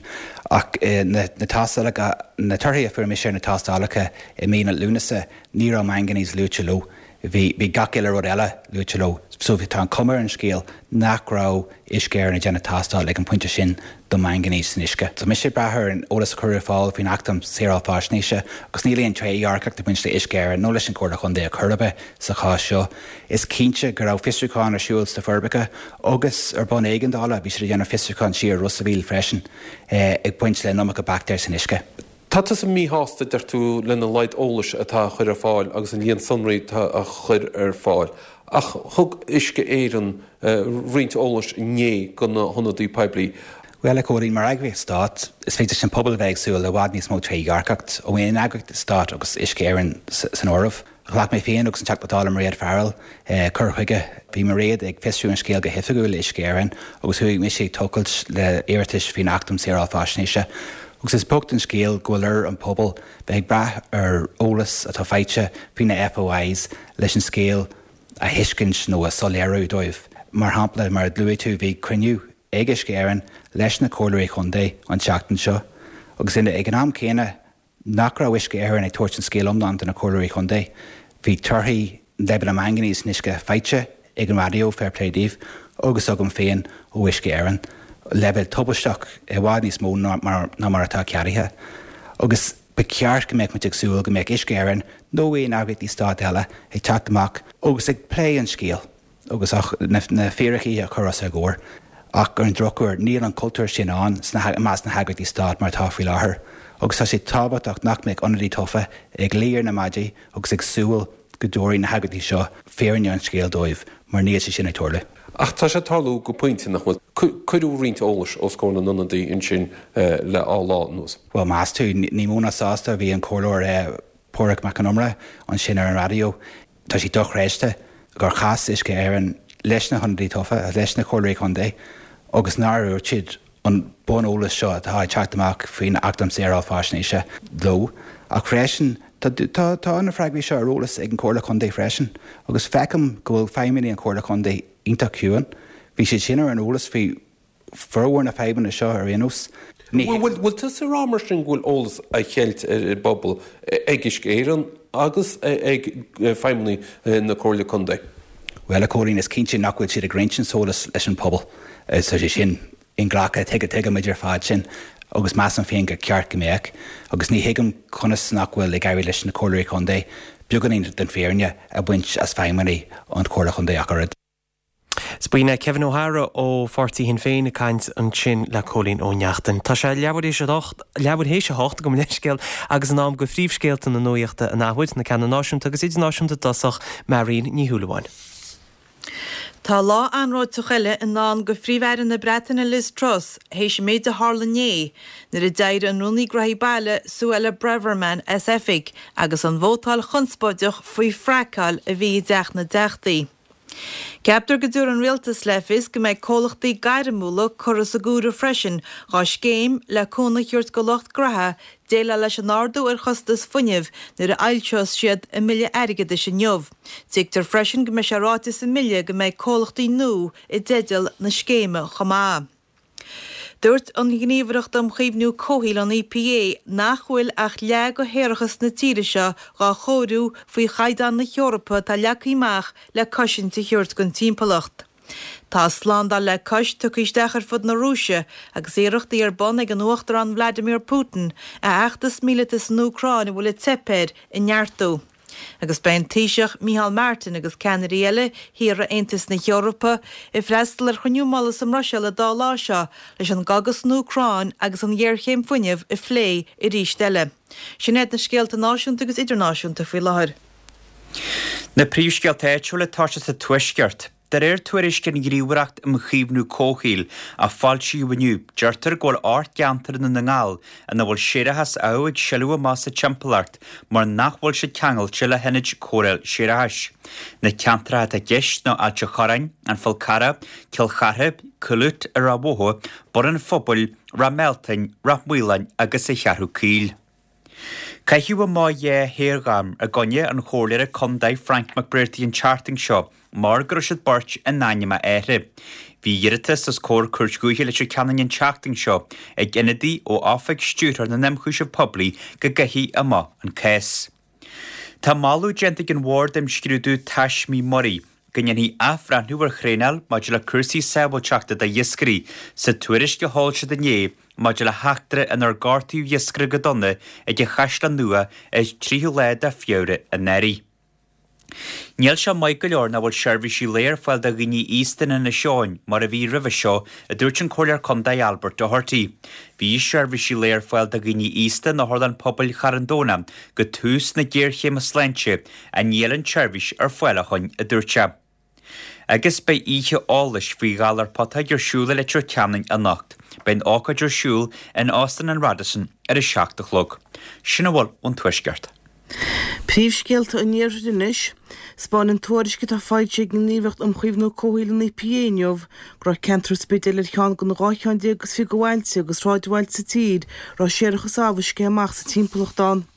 ach na tástálacha, na torthaí a fuair mise ar na tástálacha i mí na Lúnasa, ní raibh manganese luaite leo. Bhí, bhí gach uile rud eile luaite leo. So tá an chuma ar an scéal nach raibh Uisce Éireann ag déanamh tástáil ag an bpointe sin do manganese san uisce. Tá mise ag brath ar an eolas a cuireadh ar fáil faoin Acht um Shaoráil Faisnéise agus níl aon trédhearcacht ag baint le Uisce Éireann nó leis an Chomhairle Chontae ar chor ar bith sa chás seo. Is cinnte go raibh fiosrúchán ar siúl sna Forbacha agus ar bhonn éigeandála bhí siad ag déanamh fiosrúchán siar i Ros a' Mhíl freisin ag baint le an iomarca baictéar san uisce. Tá tusa míshásta, deir tú, lena laghad eolais atá á chur ar fáil agus an líon sonraí atá á chur ar fáil. Ach thug Uisce Éireann roinnt eolais inné do na hionadaí poiblí. Bhuel, a Chóilín, mar eagraíocht stáit, is féidir leis an pobal a bheith ag súil le i bhfad níos mó trédhearcacht ó aon eagraíocht stáit agus Uisce Éireann san áireamh. Ghlac mé féin agus an Teachta Dála Mairéad Farrell cur chuige. Bhí Mairéad ag fiosrú an scéil go hoifigiúil le Uisce Éireann agus chuaigh mise ag tochailt le iarratais faoin Acht um Saoráil Faisnéise. Agus is bocht an scéal go bhfuil ar an pobal bheith ag brath ar eolas atá faighte faoi na FOIs leis an scéal a thuiscint nó a soiléiriú dóibh. Mar shampla, mar a luaigh tú, bhí cruinniú ag Uisce Éireann leis na Comhairleoirí Chontae an tseachtain seo agus ag an am céanna nach raibh Uisce Éireann ag tabhairt an scéal iomlán do na Comhairleoirí Chontae. Bhí torthaí leibhéal an mhaingainéis san uisce faighte ag an raidió, fair play daoibh, agus agam féin ó Uisce Éireann, leibhéal tubaisteach, i bhfad níos mó ná mar atá ceadaithe. Agus ba cheart go mbeadh muid ag súil go mbeadh Uisce Éireann nó aon eagraíochtaí stáit eile ag teacht amach agus ag plé an scéil. agus na fíricí a chur os ár gcomhair. Ach ar an drochuair, níl an cultúr sin ann i measc na heagraíochtaí stáit mar atá faoi láthair, agus tá sé tábhachtach nach mbeadh ionadaí tofa ag luí ar na maidí agus ag súil go dtabharfaidh na heagraíochtaí seo fírinne an scéil dóibh, mar níl sé sin ag tarlú. Ach tá sé ag tarlú go pointe, nach bhfuil? Cuireadh roinnt eolais os comhair na n-ionadaí ansin le dhá lá anuas. Bhuel, meas tú, ní mó ná sásta a bhí an Comhairleoir Pádraig Mac Con Iomaire ansin ar an raidió. Tá sé dochreidte gur chas Uisce Éireann leis na hionadaí tofa, leis na Comhairleoirí Contae agus nár dhúirt siad an bun-eolas seo atá ag teacht amach faoin Acht um Shaoráil Faisnéise leo. Ach freisin, tá, tá, tá na freagraí seo ar eolas ag an Chomhairle Contae freisin agus feicim go bhfuil feidhmeannaigh an Chomhairle Contae iontach ciúin. Bhí siad sin ar an eolas faoi formhór na fadhbanna seo ar aon nós. Ní. Bhfuil tusa ag rá mar sin go bhfuil eolas á cheilt ar an bpobal ag Uisce Éireann agus ag feidhmeannaigh na Comhairle Contae? Bhuel, a Chóilín, is cinnte nach bhfuil siad ag roinnt an t-eolas leis an pobal. Tá sé sin inghlactha, tuigimid ar fad sin agus measaim féin gur ceart go mbeadh. Agus ní thuigim conas nach bhfuil ag éirí leis na Comhairleoirí Contae beagáinín den fhírinne a bhaint as feidhmeannaigh an Chomhairle Chontae ach oiread. 'S b'in é Kevin O'Hara ó pháirtí Shinn Féin ag caint ansin le Cóilín Ó Neachtain. Tá sé leathuair théis leathuair théis a hocht, gabh mo leithscéal, agus in am go phríomhscéalta na nuachta an athuair, na ceanna náisiúnta agus idirnáisiúnta i dtosach, Marion Ní Shúilleabháin. Tá lá anróiteach eile i ndán go Phríomh-Aire na Breataine Liz Truss théis an méid a tharla inné nuair a d'éirigh an Rúnaí Gnóthaí Baile Suella Braverman as oifig agus an vótáil chonspóideach faoi fraiceáil a bhí i dTeach na dTeachtaí. Ceaptar go dtabharfaidh an Rialtas le fios go mbeidh comhlachtaí gairmiúla curtha sa gcomhaireamh freisin dhá scéim le cúnamh a thabhairt go lucht graithe déileáil leis an ardú ar chostas fuinnimh nuair a fhoilseos siad a mbille airgeadais inniu. Tuigtear freisin go mbeidh sé ráite sa mbille go mbeidh comhlachtaí nua i dteideal na scéime chomh maith. Dúirt an Ghníomhaireacht um Chaomhnú Comhshaoil, an EPA, nach bhfuil ach leath de shéarachas na tíre seo dhá chóiriú faoi chaighdeáin na hEorpa atá leagtha amach le cosaint a thabhairt don timpeallacht. Tá slándáil le cois tugtha isteach ar fud na Rúise agus iarrachtaí ar bun ag an Uachtarán Vladimir Putin a fheachtas míleata san Úcráin a bhfuil ag teip air a neartú. Agus beidh an Taoiseach Micheál Martin agus ceannairí eile thíortha Aontas na hEorpa ag freastal ar chruinniú mullaigh sa mBruiséil an dá lá seo leis an gcogadh san Úcráin agus an ghéarchéim fuinnimh a phlé arís eile. Sin iad na scéalta náisiúnta agus idirnáisiúnta faoi láthair. Na príomhscéalta áitiúla atá sé sa Tuaisceart. De réir tuairisc an Ghníomhaireacht um Chaomhnú Comhshaoil a foilsíodh inniu, deirtear go bhfuil 8 gceantar i nDún na nGall ina bhfuil séarachas amh ag sileadh amach sa timpeallacht mar nach bhfuil siad ceangailte le hionaid cóireáil séarachais. Na ceantracha atá i gceist ná Ailt an Chorráin, An Fál Carrach, Cill Chartha, Cúil Úit i Ráth Bhoth, Bun an Phobail, Ráth Mealtain, Ráth Maoláin agus An Cheathrú Caoil. Caitheadh amach 2 shaorghairm i gcoinne an chomhairleora contae Frank McBrearty an tseachtain seo mar go raibh siad beirt in ainm a athar. Bhí iarratas os comhair Cúirt Dhúiche Leitir Ceanainn an tseachtain seo ag ionadaí ó Oifig Stiúrthóir na nIomchúiseamh Poiblí go gcaithfí amach an cás. Tá moladh déanta ag an Bhord Imscrúdú Taismí Muirí go ndéanfaí athbhreithniú ar thraenáil maidir le cúrsaí sábháilteachta d'iascairí sa tuairisc a foilsíodh inné maidir le heachtra inar gortaíodh iascaire go dona ag an Chaisleán Nua ar 3ú lá de Feabhra anuraidh. Níl sé maith go leor nach bhfuil seirbhísí lae ar fáil do dhaoine aosta in Inis Eoghain mar a bhí roimhe seo, a dúirt an Comhairleoir Contae Albert Doherty. Bhí seirbhísí lae ar fáil do dhaoine aosta in Otharlann Pobail Charn Domhnach go tús na géarchéime sláinte ach níl an tseirbhís ar fáil ó shoin, a dúirt sé. Agus beidh oíche eolais faoi ghalar putóg ar siúl i Leitir Ceanainn anocht. Beidh an ócáid ar siúl in Óstán an Radisson ar a 7 a chlog. Sin a bhfuil ón Tuaisceart. Príomhscéalta an Iarthair anois. 'Spáineann tuairisc atá foilsithe ag an nGníomhaireacht um Chaomhnú Comhshaoil an EPA inniu go raibh ceantar an Spidéil ar cheann de na 12 cheann is 20 de bhailte agus sráidbhailte sa tír a raibh séarachas amh ag sceith amach sa timpeallacht ann.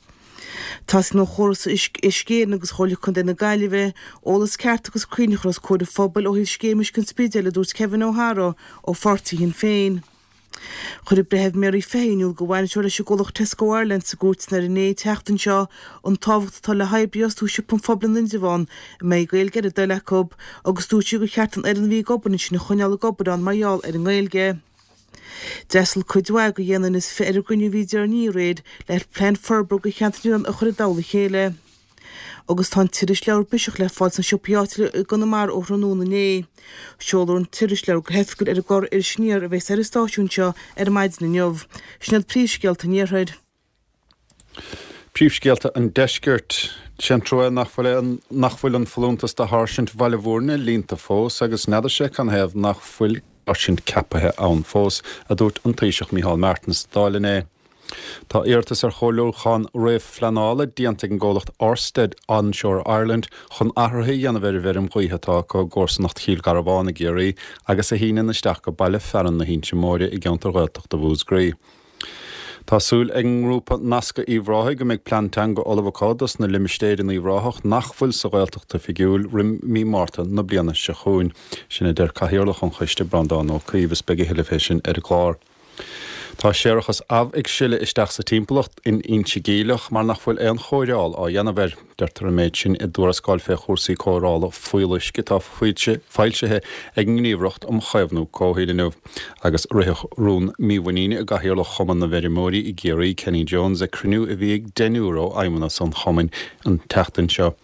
Teastaíonn ó chóras Uisce Éireann agus Chomhairle Contae na Gaillimhe eolas ceart agus cruinn a chur os comhair an phobail ó thaobh scéim uisce an Spidéil, a dúirt Kevin O'Hara ó pháirtí Shinn Féin. Chuir an Breitheamh Mary Fahy in iúl do bhainisteoir leis an gcomhlacht Tesco Ireland sa gcúirteanna ar an tseachtain seo an tábhacht atá le hoibrí a fhostú i siopa an phobail in Indreabhán a mbeidh Gaeilge ar a dtoil acu agus dúirt sí gur cheart an fhoireann a bhí ag obair ansin a choinneáil ag obair ann mar gheall ar an nGaeilge. D'fhreastail cuid mhaith de dhéanamh níos fi ar an gcruinniú a bhí deireanaí aréir le plean forbartha do cheantar na nOileán a chur i dtoll a chéile. Agus tá an t-irisleabhar Biseach le fáil sna siopaí áitiúla i gConamara ó thráthnóna inné. Seolfar an t-irisleabhar go hoifigiúil ar an gclár Iris Aniar a bheas ar an stáisiún seo ar maidin inniu. Sin iad príomhscéalta an Iarthair. Príomhscéalta an Deiscirt. Sé an trua nach bhfuil nach bhfuil an folúntas do sháirsint Bhaile Bhúirne líonta fós agus n'fheadar sé canathaobh nach bhfuil sáirsint ceapaithe ann fós, a dúirt an Taoiseach Micheál Martin sa Dáil inné. Tá iarratas ar chomhairliúchán réamhphleanála déanta ag an gcomhlacht Ørsted Onshore Ireland chun athruithe a dhéanamh ar an bhfeirm ghaoithe atá acu i gcomharsanacht Chill Garbháin i gCiarraí agus a shíneann isteach go baile fearainn na hInse Móire i gceantar Ghaeltachta Mhúscraí. Tá súil ag an ngrúpa Nascadh Uíbh Ráthaigh go mbeidh plean teanga ullamh acu dos na limistéir in Uíbh Ráthach nach bhfuil sa Ghaeltacht oifigiúil roim mí Márta na bliana seo chugainn. Sin a deir Cathaoirleach an choiste, Breandán Ó Caoimh, is beidh a thuilleadh fé sin ar an gclár. Tá séarachas amh ag sileadh isteach sa timpeallacht in Inse Geimhleach mar nach bhfuil aon chóireáil á dhéanamh air. Deirtear an méid sin i dtuarascáil fé chúrsaí cóireála fuíolluisce atá foilsithe ag an nGníomhaireacht um Chaomhnú Comhshaoil inniu. Agus ritheadh rún mímhuiníne i gCathaoirleach Chumann na bhFeirmeoirí i gCiarraí, Kenny Jones, ag cruinniú a bhí ag deichniúr ó fheidhmeannas an chumainn an tseachtain seo.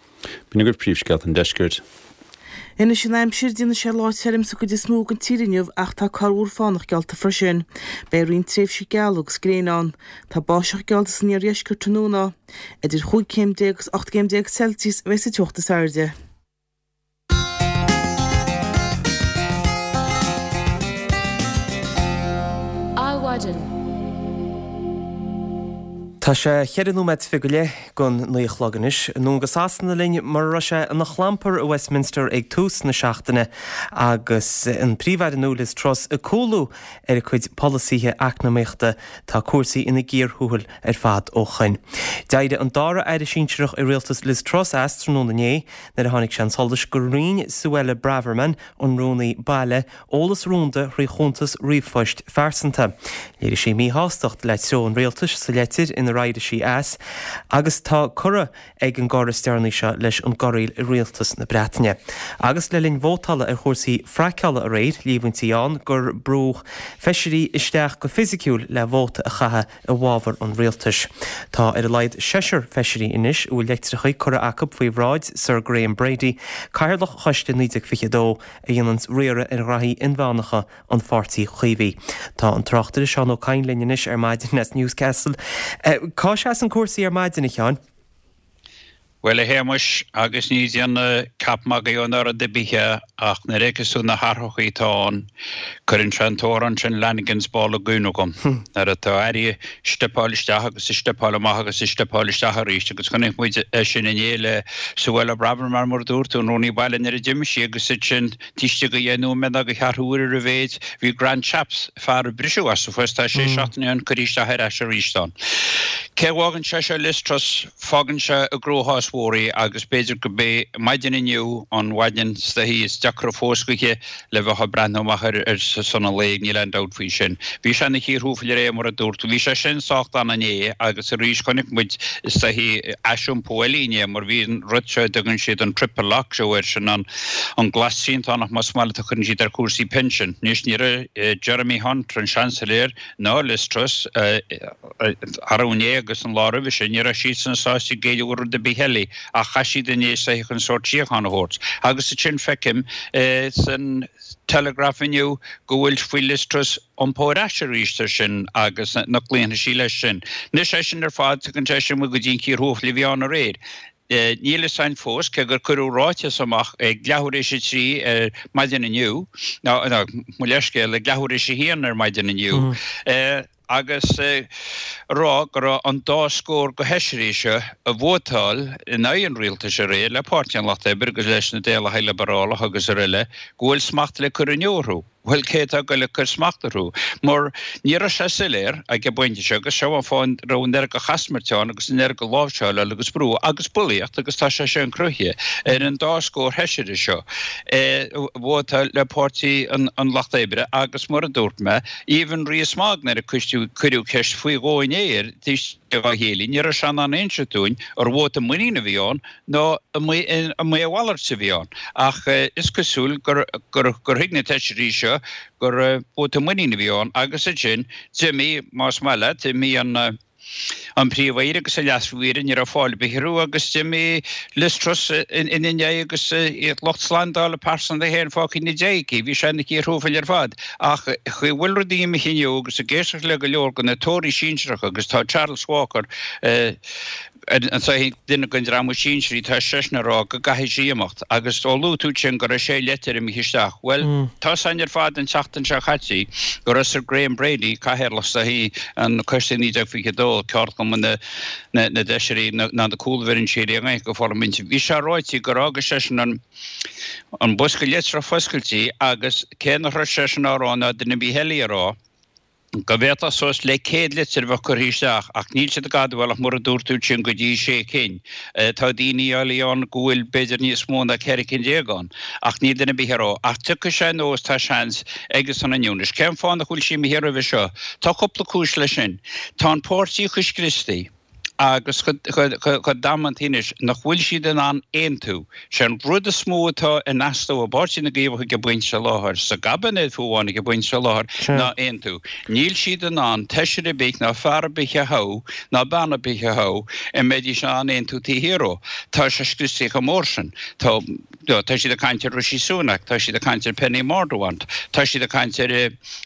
B'in agaibh príomhscéalta an deiscirt. Anois an aimsir, déanfaidh sé lá tirim sa gcuid is mó den tír inniu ach tá corrmhúr fánach geallta freisin. Beidh roinnt tréimhsí geala agus gréine ann. Tá báisteach geallta san iardheisceart tráthnóna. Idir chúig chéim déag agus 18 gcéim Celsius a bheidh sa teocht is airde. Adhmhaidin. Tá sé cheithre nóiméad is fiche go leith gon naoi a chlog anois. Anonn go Sasana linn mar a raibh sé ina chlampar i Westminster ag tús na seachtaine agus an Príomh-Aire nua Liz Truss ag cúlú ar a cuid polasaithe eacnamaíochta. Tá cúrsaí ina gcíor thuathail ar fad ó shoin. D'éirigh an dara aire sinsearach i rialtas Liz Truss as tráthnóna inné nuair a tháinig sé chun solais gur roinn Suella Braverman, an Rúnaí Baile, eolas rúnda thrí chuntas ríomhphoist phearsanta. Léirigh sí míshástacht le treo an rialtais sa leitir inar éirigh sí as agus tá curtha ag an gcor is deireanaí seo leis an gcorraíl i rialtas na Breataine. Agus le linn vótála ar chúrsaí fraiceála aréir, líomhaintí ann gur brúdh feisirí isteach go fisiciúil le vóta a chaitheamh i bhfabhar an rialtais. Tá ar a laghad seisear feisirí anois a bhfuil leitreacha curtha acu faoi bhráid Sir Graham Brady, Cathaoirleach Choiste 1922, a dhéananns riaradh ar ghraithí inmheánacha an Pháirtí Chaomhaigh. Tá an tráchtaire Seán Ó Cadhain linn anois ar maidin as Newscastle. Cá seasann cúrsaí ar maidin, a Sheáin? Bhuel, a Shéamais, agus ní ag déanamh ceap magaidh nó rud ar bith é, ach nuair a fheiceas tú na hathrachaí atá ann, cuireann sé an t-amhrán sin Lanigan's Ball i gcuimhne dhom, nuair atá airí ag steipeáil isteach agus ag steipeáil amach agus ag steipeáil isteach arís, agus chonaic muid é sin inné le Suella Braverman, mar a dúirt tú, an Rúnaí Baile nuair a d'imigh sí agus ansin taobh istigh de dheich nóiméad nó de cheathrú uaire ar a mhéid, bhí Grant Shapps, fear a briseadh as a phost tá sé seachtaine ó shin, curtha isteach ar ais arís ann. Cé a bhfágann sé seo Liz Truss? Fágann sé i gcruachás mhór í agus b'fhéidir go b'é maidin inniu an mhaidin is dóichí is deacra fós dhaoithe le bheith ag breathnú amach ar son an lae, níl aon dabht faoi sin. Bhí sé ina chíor thuathail aréir mar a dúirt tú. Bhí sé sin sách dona inné agus arís chonaic muid is dóichí aisiompú eile inné mar bhí an rud seo a dtugann siad an triple lock seo air, sin an an glas triantánach más maith leat a chuireann siad ar chúrsaí pinsin. Anois ní raibh Jeremy Hunt, an Seansailéir, ná Liz Truss, arú inné agus an lá roimhe sin, ní raibh siadsan sásta géilleadh do rud ar bith eile ach chaith siad inné is dóichí chun sórt síochána a thabhairt. Agus ansin feicim san Telegraph inniu go bhfuil faoi Liz Truss iompó ar ais arís air sin agus nach gcloífidh sí leis sin. Anois é sin ar fad, tugann sé sin muid go dtí an chíor thuathail a bhí ann aréir. Níl fhios a'inn fós, cé gur cuireadh ráiteas amach ag leathuair éis a trí ar maidin inniu, nó, mo leithscéal, ag leathuair éis a haon ar maidin inniu, agus ag rá go raibh an dá scór de fheisirí seo a vótáil in aghaidh an rialtais aréir, le Páirtí an Lucht Oibre agus leis na Daonlathaigh Liobrálach agus araile, go bhfuil smacht le cur inniu orthu. Bhuel, cé atá ag goil ag cur smacht orthu? Mar ní raibh sé soiléir ag an bpointe seo, agus seo an fáth a raibh an oiread de chasmairt ann agus an oiread de láimhseáil agus brú agus bulaíocht agus tá sé sin cruthaithe ar an dá scór feisire seo a vótáil le Páirtí an Lucht Oibre agus mar a dúirt mé, even Rees-Mogg nuair a cuireadh ceist faoi dhó inné air taobh istigh dá chéile, ní raibh sé in ann inse dúinn ar vóta muiníne a bhí ann nó an mba a mhalairt a bhí ann. Ach is cosúil gur thuig na feisirí seo gur vóta muiníne a bhí ann agus ansin d'imigh, más maith leat, d'imigh an. An Príomh-Aoire agus an Leas-Phríomh-Aoire, ní raibh fáil ar bith orthu agus d'imigh Liz Truss ina ndiaidh agus lucht slándála pearsanta féin fágtha ina diaidh aici. Bhí sé ina chíor thuathail ar fad. Ach chaoi a bhfuil rudaí imithe inniu agus ag éisteacht le go leor de na Tóraí sinsearacha agus tá Charles Walker, an duine den dream is sinsearaí, tá seisean ag rá go gcaithfidh sí imeacht. Agus ó luaigh tú ansin go raibh sé leitir imithe isteach, bhuel, tá 's againn ar fad an tseachtain seo caite go raibh Sir Graham Brady, cathaoirleach is dóichí an Coiste 1922, ceardchumann na bhFeisirí ná na cúlbhrinsí i nGaeilge Pharlaiminte, bhí sé ráite gur fhága seisean an an bosca litreach foscailte agus cé nach raibh seisean á rá ná duine ar bith eile á rá, go bhféadfadh suas le 100 litir a bheith curtha isteach ach níl siad ag admháil ach mar a dúirt tú ansin go dtí sé cinn. Tá daoine eile ann go bhfuil b'fhéidir níos mó ná 14 cinn ann ach níl duine ar bith ag rá. Ach tiocfaidh sé anuas tá seans aige san inniu. Anois cén fáth nach bhfuil sí imithe roimhe seo? Tá cúpla cúis leis sin. Tá an páirtí chomh scriosta. agus chomh damanta anois nach bhfuil siad in ann aontú. Sé an rud is mó atá in easnamh i bPáirtí na gCaomhach ag an bpointe seo láthair, sa gcaibinéad fiú amháin ag an bpointe seo láthair, ná aontú. Níl siad in ann feisire ar bith ná fear ar bith a thoghadh ná bean ar bith a thoghadh a mbeidís in ann aontú taobh thiar dhó. Tá sé scriosta chomh mór sin. Tá tá siad ag caint ar Rishi Sunak, tá siad ag caint ar Penny Mordaunt, tá siad ag caint ar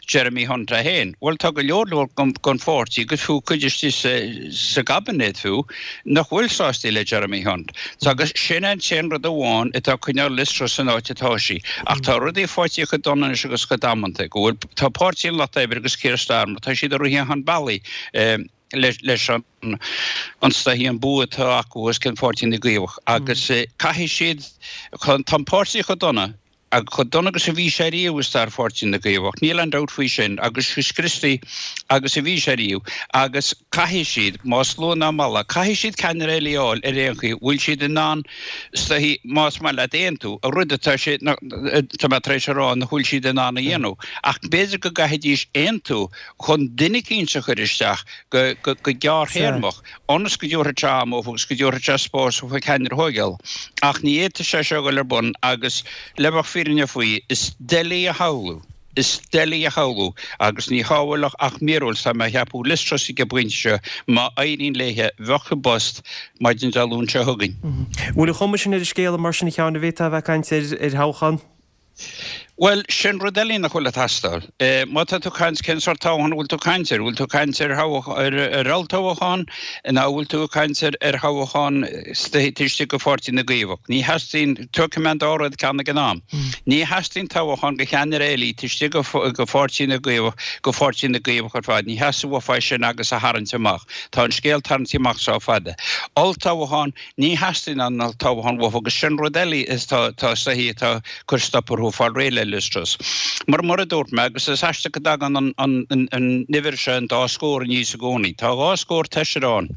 Jeremy Hunt é féin. Bhuel, tá go leor leor den pháirtí, agus fiú cuid istigh sa gcaibinéad fiú, nach bhfuil sásta le Jeremy Hunt. Agus sin an t-aon rud amháin atá ag coinneáil Liz Truss san áit atá sí. Ach tá rudaí faighte chomh dona anois agus chomh damanta go bhfuil, tá Páirtí an Lucht Oibre agus Keir Starmer, tá siad ag rith chun bealaigh leis an is dóichí an bua atá acu os cionn Pháirtí na gCaomhach. Agus caithfidh siad, tá an páirtí chomh dona, Ach chomh dona agus a bhí sé riamh i stair Pháirtí na gCaomhach, níl aon dabht faoi sin, agus chomh scriosta agus a bhí sé riamh, agus caithfidh siad, más luath ná mall, caithfidh siad ceannaire eile a fháil ar aon chaoi, bhfuil siad in ann, is dóichí, más maith leat, aontú, an rud atá sé, tá mé tar éis a rá, nach bhfuil siad in ann a dhéanamh, ach b'fhéidir go gcaithfidís aontú chun duine eicínt a chur isteach go gearrthéarmach. ionas go dtabharfadh sé am dhóibh agus go dtabharfadh sé spás dhóibh ceannaire a thóigeáil. Ach ní fhéadfadh sé seo a dhul ar bun agus, le bheadh fírinne faoi, is doiligh a shamhlú, is doiligh a shamhlú agus ní shamhlódh ach míorúilt, tá mé a cheapadh, Liz Truss ag an bpointe seo, má éiríonn léithe, bheadh i bpost maidin Dé Luain seo chugainn. Bhfuil an chuma sin ar an scéal mar sin, a Sheáin, an bhféadfá a bheith ag caint ar thoghchán? Bhuel, sin rud eile nach bhfuil ag teastáil. Má tá tú ag caint, cén sórt toghchán a bhfuil tú ag caint air? Bhfuil tú ag caint ar ar olltoghchán nó an bhfuil tú ag caint ar ar thoghchán taobh istigh de Pháirtí na gCaomhach? Ní theastaíonn, tógfaidh mé an dá rud ceann ag an am. Ní theastaíonn toghchán do cheannaire eile taobh istigh de Pháirtí na gCaomhach, de Pháirtí na gCaomhach ar fad. Ní theastaíonn uafa é sin agus a tharraingt amach. Tá an scéal tarraingthe amach sách fada. Olltoghchán, Ní theastaíonn an olltoghchán uafa agus sin rud eile is tá tá is dóichí atá ag cur stop orthu fáil réidh le Liz Truss. Mar mar a dúirt mé agus is aisteach go dtagann an an an an uimhir seo an dá scór aníos i gcónaí. Tá dhá scór feisire ann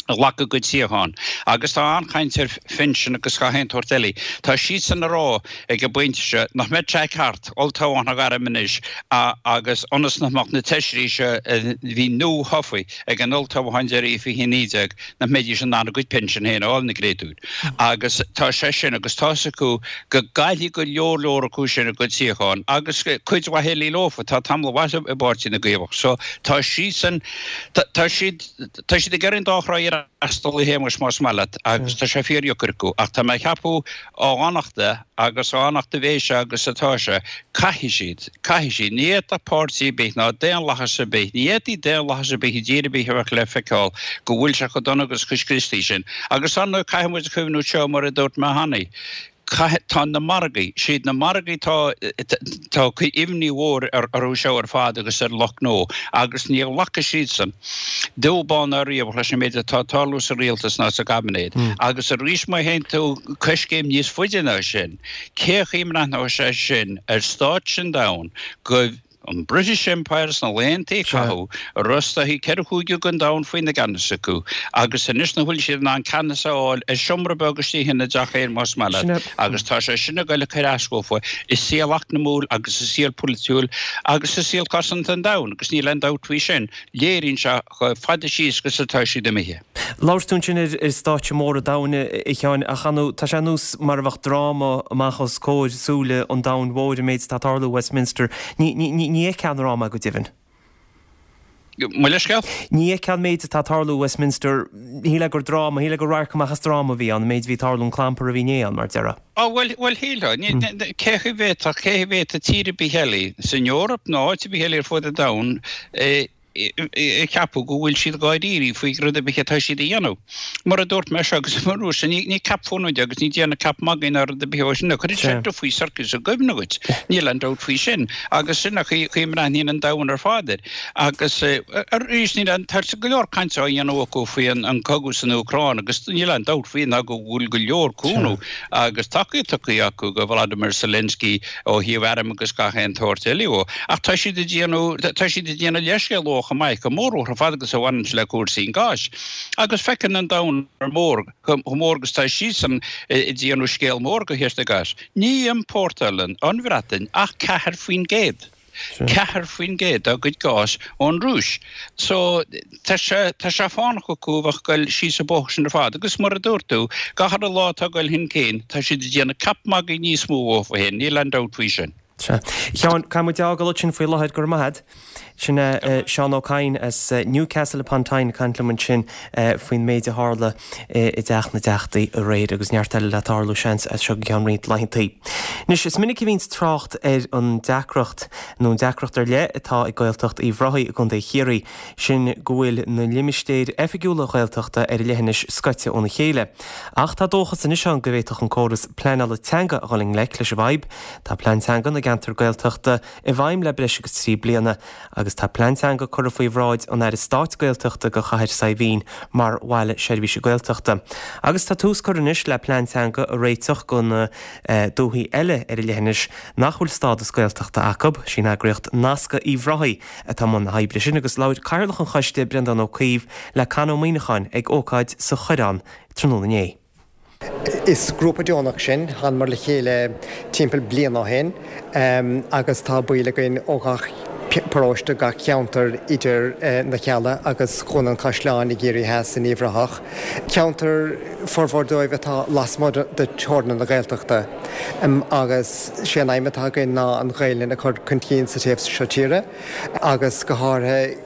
a ghlac a gcuid suíochán agus tá an-chaint ar phinsin agus gach aon tsórt eile. Tá siadsan ag rá ag an bpointe seo nach mbeadh sé ceart olltoghchán a ghairm anois agus ionas nach mbeadh na feisirí seo a bhí nua-thofa ag an olltoghchán deiridh i 2019 nach mbeidís in ann a gcuid pinsean féin a fháil, na créatúir. Agus tá sé sin, agus tá's acu go gcaillfidh go leor leor acu sin a gcuid suíochán, agus cuid mhaith eile leofa, tá tamall mhaith i bPáirtí na gCaomhach. So tá siadsan, tá siad, tá siad ag iarraidh an dá thrá a fhreastal, a Shéamais, más maith leat, agus tá sé fíordheacair acu. Ach tá mé ag ceapadh á fhanachta agus á fhanachta a bheidh sé agus atá sé, caithfidh siad, caithfidh siad, ní fhéadfadh páirtí ar bith ná daonlathas ar bith, ní fhéadfaí daonlathas ar bith i dtír ar bith a bheith le feiceáil go bhfuil sé chomh dona agus chomh scriosta sin. Agus ar ndóigh caithfidh muid cuimhniú seo mar a dúirt mé cheana, caithfidh, tá na margaí, siad na margaí tá, tá imní mhór orthu seo ar fad agus ar lucht gnó agus ní ghlacfaidh siadsan. Dubh bán ná riabhach leis an méid atá ag tarlú sa rialtas ná sa gcaibinéad. Agus arís má théann tú coiscéim níos faide ná sin, cé chaoi a mbreathnóidh sé sin ar stáitse an domhain go an British Empire sna laethanta a caitheadh, a raibh is dóichí ceithre chúigiú den domhan faoina gceannas acu, agus anois nach bhfuil siad in ann ceannas a fháil ar seomra beag istigh ina dteach féin más maith leat, agus tá sé sin ag goil ag cur as dófa i saol eacnamúil agus i saol polaitiúil agus i saol cosanta an domhain, agus níl aon dabht faoi sin. Léiríonn sé chomh fada síos agus atá siad imithe. Labhair tú ansin ar stáitse mór an domhain, a Sheáin, ach ar ndóigh, tá sé ar nós mar a bheadh dráma amach os comhair súile an domhain mhóir, an méid atá ag tarlú i Westminster. Ní fheicfeá an dráma, go deimhin. Mo leithscéal? Ní fheicfeá an méid atá ag tarlú i Westminster, shílfeá gur dráma, shílfeá gur radharc amach as dráma a bhí ann, an méid a bhí ag tarlú, an clampar a bhí inné ann, mar a déarfá. Á, bhuel, bhuel, shílfeá. Cé chaoi bhféadfadh, cé chaoi bhféadfadh tír ar bith eile, san Eoraip nó áit ar bith eile ar fud an domhain, a cheapadh go bhfuil siad dháiríre faoi rud ar bith atá siad a dhéanamh. Mar a dúirt mé seo agus mar a dúirt sé, ní ceap fónamh de agus ní déanamh ceap magaidh ná rud ar bith ó sin, cuirfidh sé dufaí sorcais i gcuimhne dhuit, níl aon dabht faoi sin. Agus sin an chaoi a mbreathnaíonn an domhan ar fad air. Agus arís, níl aon, tá go leor cainte á dhéanamh acu faoi an cogadh san Úcráin agus níl aon dabht faoi ná go bhfuil go leor cúnamh agus tacaíocht tugtha acu do Vladimir Zelensky ó thaobh airm agus gach aon tsórt eile dhó. Ach tá siad ag déanamh, tá siad ag déanamh leithscéal dhó chomh maith, go mór ar fad agus a bhaineann le cúrsaí an gáis. Agus feiceann an domhan mór chomh mór agus tá siadsan ag déanamh scéal mór de chúrsaí gáis. Ní iompórtálann an Bhreatain ach 4%. 4% dá gcuid gáis ón Rúis. So, tá sé, tá sé fánach acu a bheith ag goil síos an bóthar sin ar fad. Agus mar a dúirt tú, gach uile lá atá ag goil chun cinn, tá siad ag déanamh ceap magaidh níos mó dhófa féin, níl aon dabht faoi sin. Sea. A Sheáin, caithfidh muid a fhágáil ansin faoi láthair, go raibh maith agat. Sin é Seán Ó Cadhain as Newcastle upon Tyne ag caint liom ansin faoin méid a tharla i dTeach na dTeachtaí aréir agus neart eile le tarlú, seans, as seo go ceann roinnt laethantaí. Anois, is minic a bhíonns trácht ar an deacracht, nó an deacracht ar leith atá ag Gaeltacht Uíbh Ráthaigh i gContae Chiarraí, sin go bhfuil na limistéir oifigiúla Ghaeltachta ar an leithinis scoite óna chéile. Ach tá dóchas anois ann go bhféadfadh an córas pleanála teanga a dhul i ngleic leis an bhfadhb. Tá plean teanga na gceantar Gaeltachta i bhfeidhm le breis agus 3 bliana agus tá plean teanga curtha faoi bhráid an Aire Stáit Gaeltachta do Chathair Saidhbhín mar Bhaile Seirbhíse Gaeltachta. Agus tá tús curtha anois le plean teanga a réiteach do na dúthaí eile ar an leithinis nach bhfuil stádas Gaeltachta acu. Sí an eagraíocht Nascadh Uíbh Ráthaigh atá i mbun na hoibre sin agus labhair Cathaoirleach an choiste, Breandán Ó Caoimh, le Con Ó Muíneacháin ag ócáid sa Choireán tráthnóna inné. Is grúpa deonach sinn, thánamar le chéile timpeall bliain ó shin agus tá baill againn ó gach paróiste, gach ceantar idir na Cealla agus Dhún an Chaisleáin i gCiarraí Theas in Uíbh Ráthach. Ceantar, formhór dóibh atá lasmuigh de theorainn na Gaeltachta agus sé an aidhm atá againn ná an Ghaelainn a chur chun cinn sa taobh seo tíre agus go háirithe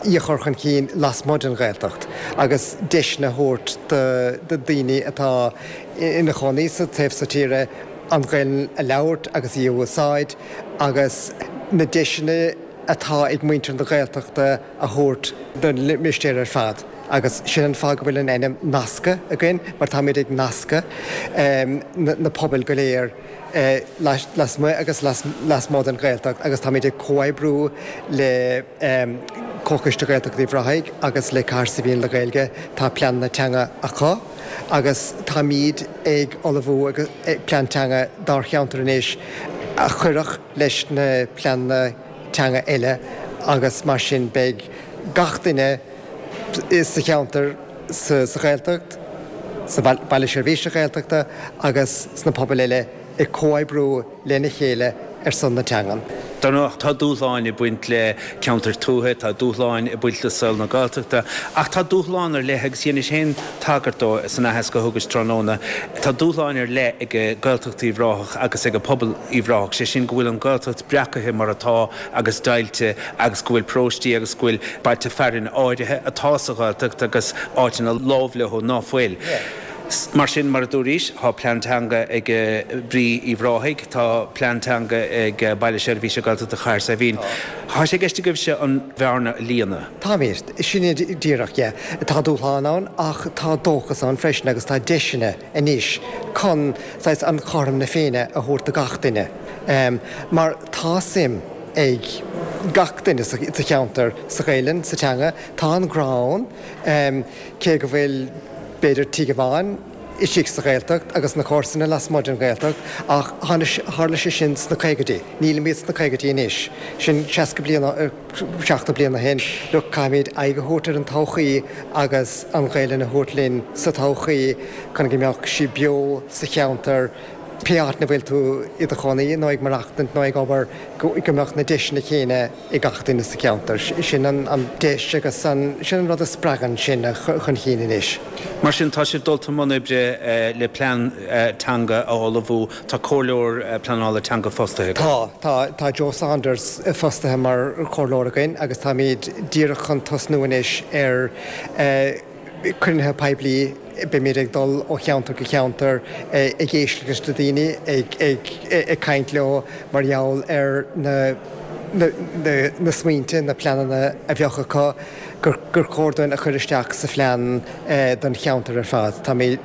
í a chur chun cinn lasmuigh den Ghaeltacht agus deiseanna a thabhairt do daoine atá ina chónaí sa taobh seo tíre an Ghaelainn a labhairt agus í a úsáid agus na deiseanna atá ag muintir na Gaeltachta a thabhairt don limistéar ar fad agus sin an fáth go bhfuil an ainm Nascadh againn mar táimid ag nascadh na pobail go léir. lasmuigh agus lasmuigh den Ghaeltacht agus táimid ag comhoibriú le Comhchoiste Ghaeltacht Uíbh Ráthaigh agus le Cathair Saidhbhín le Gaeilge. Tá pleananna teanga acu agus táimid ag ullmhú plean teanga dár cheantar anois a chuirfeadh leis na pleananna teanga eile agus mar sin beidh gach duine sa cheantar, sa Ghaeltacht, sa Bhaile Seirbhíse Gaeltachta agus sna pobail eile ag comhoibriú lena chéile ar son na teangan. Dar ndóigh, tá dúshláin ag baint le ceantair tuaithe, tá dúshláin ag baint le saol na Gaeltachta, ach tá dúshlán ar leith, agus dheinis féin tagairt dó san aitheasc a thugais tráthnóna, tá dúshláin ar leith ag Gaeltacht Uíbh Ráthach agus ag pobal Uíbh Ráthach, sé sin go bhfuil an Ghaeltacht breacaithe mar atá agus deighilte agus go bhfuil paróistí agus go bhfuil bailte fearainn áirithe atá sa Ghaeltacht agus áiteanna láimh leo ná fuil. Mar sin, mar a dúraís, tá plean teanga ag Brí Uíbh Ráthaigh, tá plean teanga ag Baile Seirbhíse Gaeltachta Chathair Saidhbhín. Tá sé i gceist agaibhse an bhearna a líonadh? Táimid. Sin é díreach, yeah. Tá dúshlán ann ach tá dóchas ann freisin agus tá deiseanna anois chun saghas an chothrom na Féinne a thabhairt do gach duine. Mar tá suim ag gach duine sa cheantar sa Ghaelainn, sa teanga. Tá an grá ann, cé go bhfuil b'fhéidir tigh amháin istigh sa Ghaeltacht agus na comharsana lasmuigh den Ghaeltacht, ach tharla sé sin sna caogaidí. Nílimid sna caogaidí anois. Sin 60 bliain, 70 bliain ó shin. Look, caithfimid aghaidh a thabhairt ar an todhchaí agus an Ghaelainn a thabhairt linn sa todhchaí chun go mbeadh sí beo sa cheantar. pé áit ina bhfuil tú i do chónaí nó ag maireachtaint nó ag obair, go mbeadh na deiseanna céanna ag gach duine sa cheantar. Sin an deis agus sin an rud a spreagann sinn chun cinn anois. Mar sin, tá sibh dulta i mbun oibre le plean teanga a ullmhú. Tá comhairleoir pleanála teanga fostaithe agaibh. Tá, tá. Tá Joe Saunders fostaithe mar chomhairleoir againn agus táimid díreach chun tosnú anois ar cruinnithe poiblí. Beimid ag dul ó cheantar go ceantar ag éisteacht leis na daoine, ag caint leo mar gheall ar na na smaointe, na pleananna a bheadh acu gur chóir dúinn a chur isteach sa phlean don cheantar ar fad. Táimid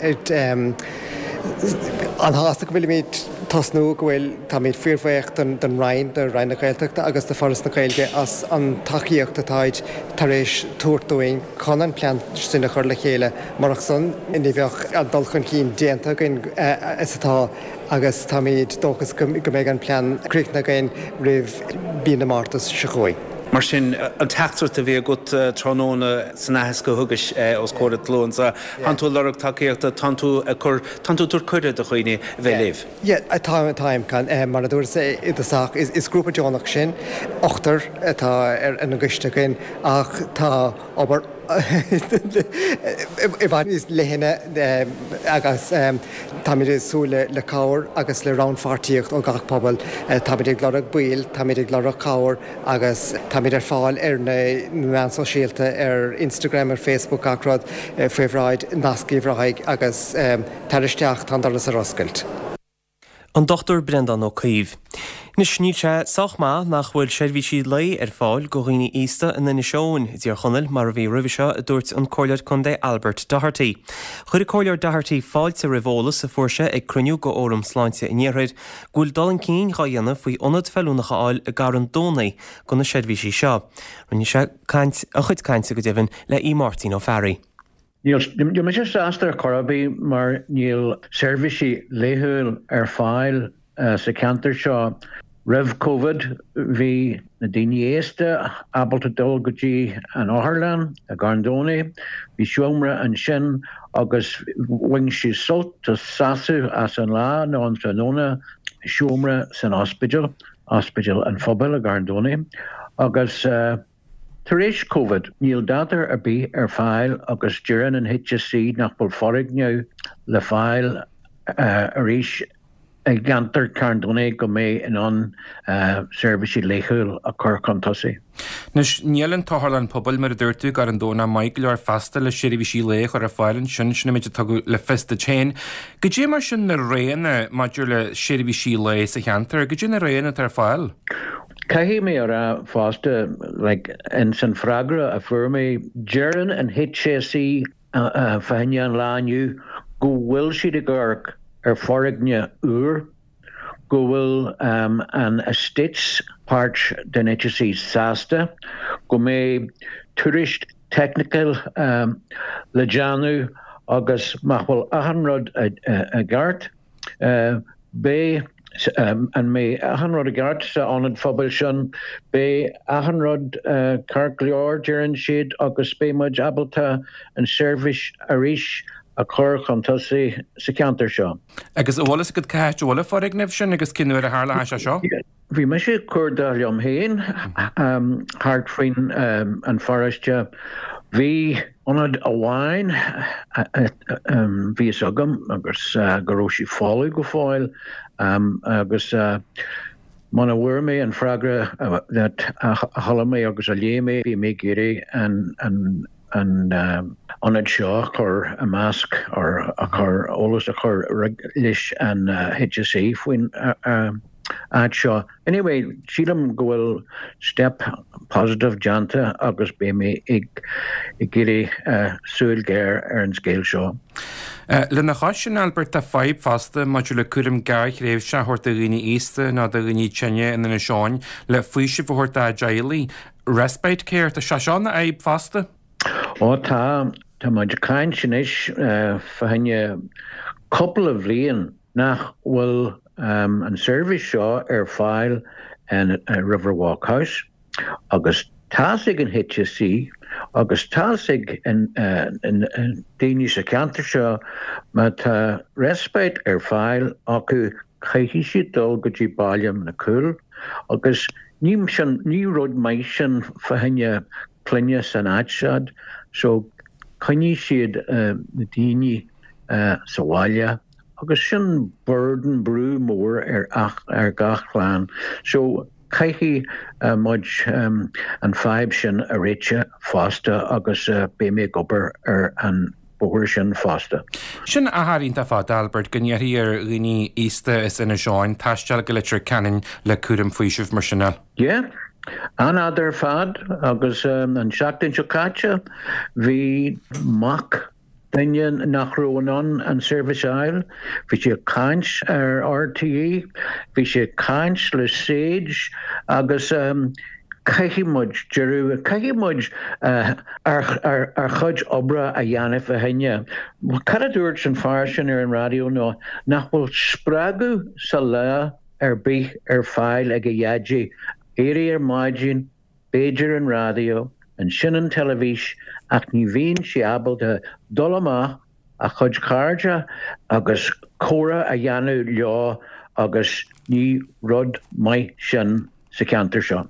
an-sásta go bhfuilimid tosnú, go bhfuil, táimid fíorbhuíoch don Roinn, do Roinn na Gaeltachta agus do Foras na Gaeilge as an tacaíocht atáid tar éis tabhairt dúinn chun an plean sin a chur le chéile. Murach san, ní bheadh an dul chun cinn déanta againn is atá agus táimid dóchasach go mbeidh an plean críochnaithe againn roimh mhí na Márta seo chugainn. Mar sin, an teachtaireacht a bhí agat tráthnóna san aitheasc a thugais os comhair an tslua anseo, tánn tú ag lorg tacaíochta, tánn tú ag cur, tánn tú ag tabhairt cuireadh do dhaoine a bheith libh. Yeah, táim, táim. Mar a dúras i dtosach, is grúpa deonach sinn, ochtar atá ar an gcoiste againn ach tá obair i bhfad níos leithne agus táimid ag súil le cabhair agus le rannpháirtíocht ó gach pobal. Táimid ag lorg baill, táimid ag lorg cabhair agus táimid ar fáil ar na meáin sóisialta, ar Instagram, ar Facebook, gach rud faoi bhráid Nasc Uíbh Ráthaigh agus tar isteach, tá an doras ar oscailt. An Dr Breandán Ó Caoimh. Anois, níl sé sách maith nach bhfuil seirbhísí lae ar fáil go dhaoine aosta in Inis Eoghain, i dTír Chonaill, mar a bhí roimhe seo, a dúirt an Comhairleoir Contae Albert Doherty. Chuir an Comhairleoir Doherty fáilte roimh eolas a fuair sé ag cruinniú go Fhóram Sláinte an Iarthair go bhfuil dul chun cinn dhá dhéanamh faoi ionad feiliúnach a fháil i gCarn Domhnaigh go na seirbhísí seo. Rinne sé caint, a chuid cainte go deimhin, le Aodh Máirtín Ó Fearraigh. Níl mise sásta ar chor ar bith mar níl seirbhísí laethúil ar fáil sa cheantar seo. Roimh Covid bhí na daoine aosta ábalta dul go dtí an otharlann i gCarn Domhnaigh, bhí seomra ansin agus bhain siad sult is sásamh as an lá nó an tráthnóna, seomra san ospidéal, Ospidéal an Phobail i gCarn Domhnaigh agus. Tar éis Covid, níl dada ar bith ar fáil agus deireann an HSE nach bhfuil foirgneamh le fáil arís i gceantar Charn Domhnaigh go mbeidh in ann seirbhísí laethúil a chur chun tosaigh. Anois, níl an t-otharlann pobail, mar a dúirt tú, i gCarn Domhnach maith go leor feasta le seirbhísí lae a chur ar fáil ansin, sin an méid a tugadh le fios duit féin. Goidé mar sin na roghanna maidir le seirbhísí lae sa cheantar, goidé na roghanna atá ar fáil? Caithfidh mé a rá fosta, like, ins an freagra a fuair mé, deireann an HSE fá choinne an lá inniu go bhfuil siad ag amharc ar foirgneamh úr, go bhfuil an estates part den HSE sásta go mbeidh tuairisc technical le déanamh agus má bhfuil achan rud i gceart, Beidh, an mbeidh achan rud i gceart sa ionad phobail sin? Beidh achan rud ceart go leor, deireann siad, agus beidh muid ábalta an seirbhís arís a chur chun tosaigh sa cheantar seo. Agus an bhfuil fhios agat cá háit a bhfuil an foirgneamh sin agus cén uair a tharlóidh sé seo? Bhí mise ag cuardach liom féin thart faoin an pharóiste. Bhí ionad amháin bhí fhios agam agus go raibh sé folamh go fóill agus muna bhfuair mé an freagra that a chuala mé agus a léigh mé bhí mé ag iarraidh an an ionad seo a chur i measc or a chur eolas a chur leis an HSE faoin áit seo. Anyway, sílim go bhfuil step positive déanta agus beidh mé ag iarraidh súil ghéar ar an scéal seo. Lena chois sin, Albert, tá fadhb fosta maidir le cúram gearrthréimhseach a thabhairt do dhaoine aosta nó do dhaoine tinne in Inis Eoghain le faoiseamh a thabhairt dá dteaghlaigh. Respite care, tá sé seo ina fhadhb fosta? Ó tá, tá muid ag caint anois fá choinne cúpla bhliain nach bhfuil an seirbhís seo ar fáil in Riverwalk House agus tá's ag an HSE agus tá's ag an daoine sa cheantar seo má tá respite ar fáil acu. Caithfidh siad dul go dtí Baile na Cúil agus ní sin, ní rud maith sin fá choinne clainne san áit seo so coinneoidh siad na daoine sa bhaile agus sin burden, brú mór ar ar gach clann. So caithfidh muid an fadhb sin a réiteach fosta agus beidh mé ag obair ar an bóthar sin fosta. Sin achar iontach fada, Albert, go n-iarrfaí ar dhaoine aosta as Inis Eoghain taisteal go Leitir Ceanainn le cúram faoisimh mar sin. Yeah, an-fhada ar fad agus an seachtain seo caite bhí mac duine nach raibh in ann an seirbhís a fháil, bhí sé ag caint ar RTÉ, bhí sé ag caint le Sage agus caithfidh muid deireadh, caithfidh muid ár chuid oibre a dhéanamh fá choinne. Cad a dúirt an fear sin ar an raidió ná nach bhfuil spreagadh sa lá ar bith ar fáil ag a dhaidí, éirí ar maidin, b'fhéidir an raidió, ansin an teilifís ach ní bhíonn sé ábalta dul amach a chuid cairde agus comhrá a dhéanamh leo agus ní rud maith sin sa cheantar seo.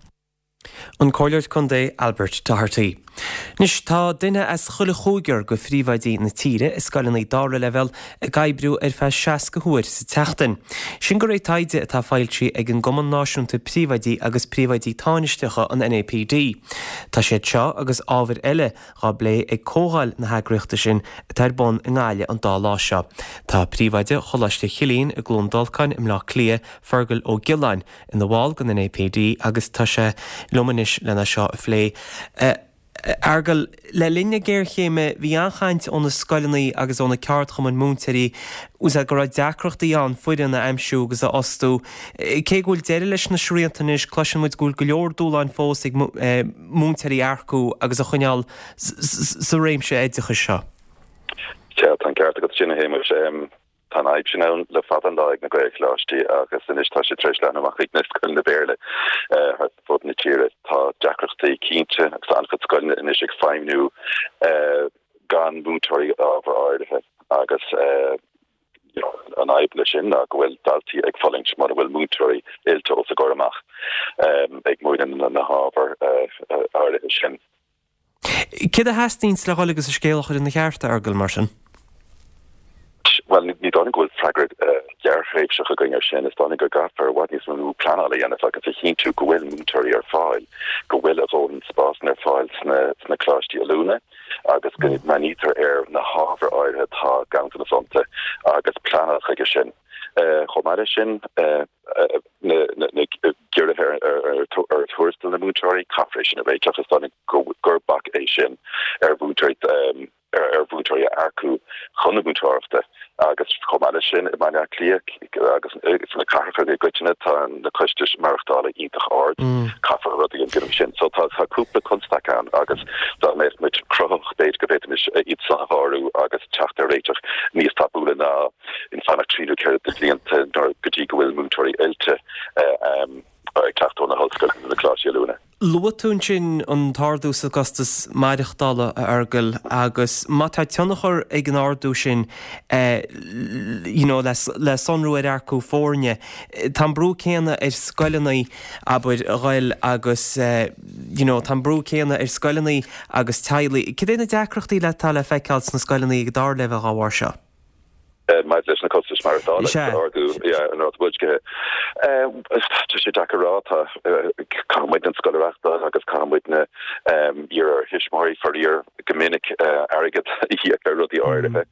An Comhairleoir Contae Albert Doherty. Anois tá duine as chuile chúigear de phríomhoidí na tíre i scoileanna dara leibhéal ag oibriú ar feadh 60 huair sa tseachtain. Sin de réir taighde atá foilsithe ag an gCumann Náisiúnta Príomhoidí agus Príomhoidí Tánaisteacha, an NAPD. Tá siad seo agus ábhair eile dhá bplé ag comhdháil na heagraíochta sin atá ar bun i nGaillimh an dá lá seo. Tá Príomhoide Choláiste Chilliain i gCluain Dolcáin i mBleá Cliath, Fergal Ó Giolláin, ina bhall den NAPD agus tá sé liom anois lena seo a phlé. A Fheargail, le linn na géarchéime bhí an-chaint ó na scoileanna agus ó na ceardchumainn múinteoirí go raibh deacrachtaí ann foireann a aimsiú agus a fhostú. Cé go bhfuil deireadh leis na srianta anois, cloiseann muid go bhfuil go leor dúshláin fós ag múinteoirí a earcú agus a choinneáil sa réimse oideachais seo. Sea, tá an ceart agat sin, a Shéamais. Tá an fhadhb sin ann le fada an lá ag na Gaelcholáistí agus anois tá sé tar éis leathnú amach chuig na scoileanna Béarla thart fud na tíre. Tá deacrachtaí cinnte agus tá an-chuid scoileanna anois ag feidhmniú gan múinteoirí ábhar áirithe agus an fhadhb leis sin ná go bhfuil daltaí ag fulaingt mura bhfuil múinteoirí oilte os a gcomhair amach ag múineadh na hábhar áirithe sin. Céard a theastaíonns le dhul agus an scéal a chur ina cheart, a Fheargail, mar sin? Bhuel, ní dóigh liom go bhfuil freagra gearrthréimhseach againn air sin. Is dóigh liom go gcaithfear i bhfad níos mó pleanála a dhéanamh agus a chinntiú go bhfuil múinteoirí ar fáil, go bhfuil a dhóthain spásanna ar fáil sna coláistí oiliúna agus go mbreathnaítear ar na hábhair áirithe atá ganntanas iontu agus pleanáil chuige sin. Chomh maith leis sin, na giorruithe ar thuarastal na múinteoirí, caithfear é sin a réiteach. Is dóigh liom gur bac é sin ar mhúinteoirí ar mhúinteoirí a earcú chun na múinteoireachta agus chomh maith leis sin i mBaile Átha Cliath agus sna cathracha i gcoitinne tá na costais maireachtála iontach ard. Caithfear rud a dhéanamh sin. So tá cúpla constaic ann agus dá mbeadh muid cruthaitheach b'fhéidir go bhféadfaimis iad san a shárú agus teacht ar réiteach níos tapúla ná ag fanacht 3 nó 4 de bhlianta nuair go dtí go bhfuil múinteoirí oilte ag teacht ó na hollscoileanna nó na coláistí oiliúna. Luaigh tú ansin an t-ardú sa gcostas maireachtála, a Fheargail, agus má tá tionchar ag an ardú sin you know le sonrú ar earcú foirne, tá an brú céanna ar scoileanna, abair, a ghoil agus you know tá an brú céanna ar scoileanna agus teaghlaigh. Cad é na deacrachtaí atá le feiceáil sna scoileanna ag an dara leibhéal dá bharr seo? Maidir leis na costais maireachtála agus ardú an ráta boilscithe, tá sé deacair a rá. Tá, caithfidh muidne an scoil a reáchtáil agus caithfidh muidne iarraidh ar thuismitheoirí, faraor, go minic airgead a íoc ar rudaí áirithe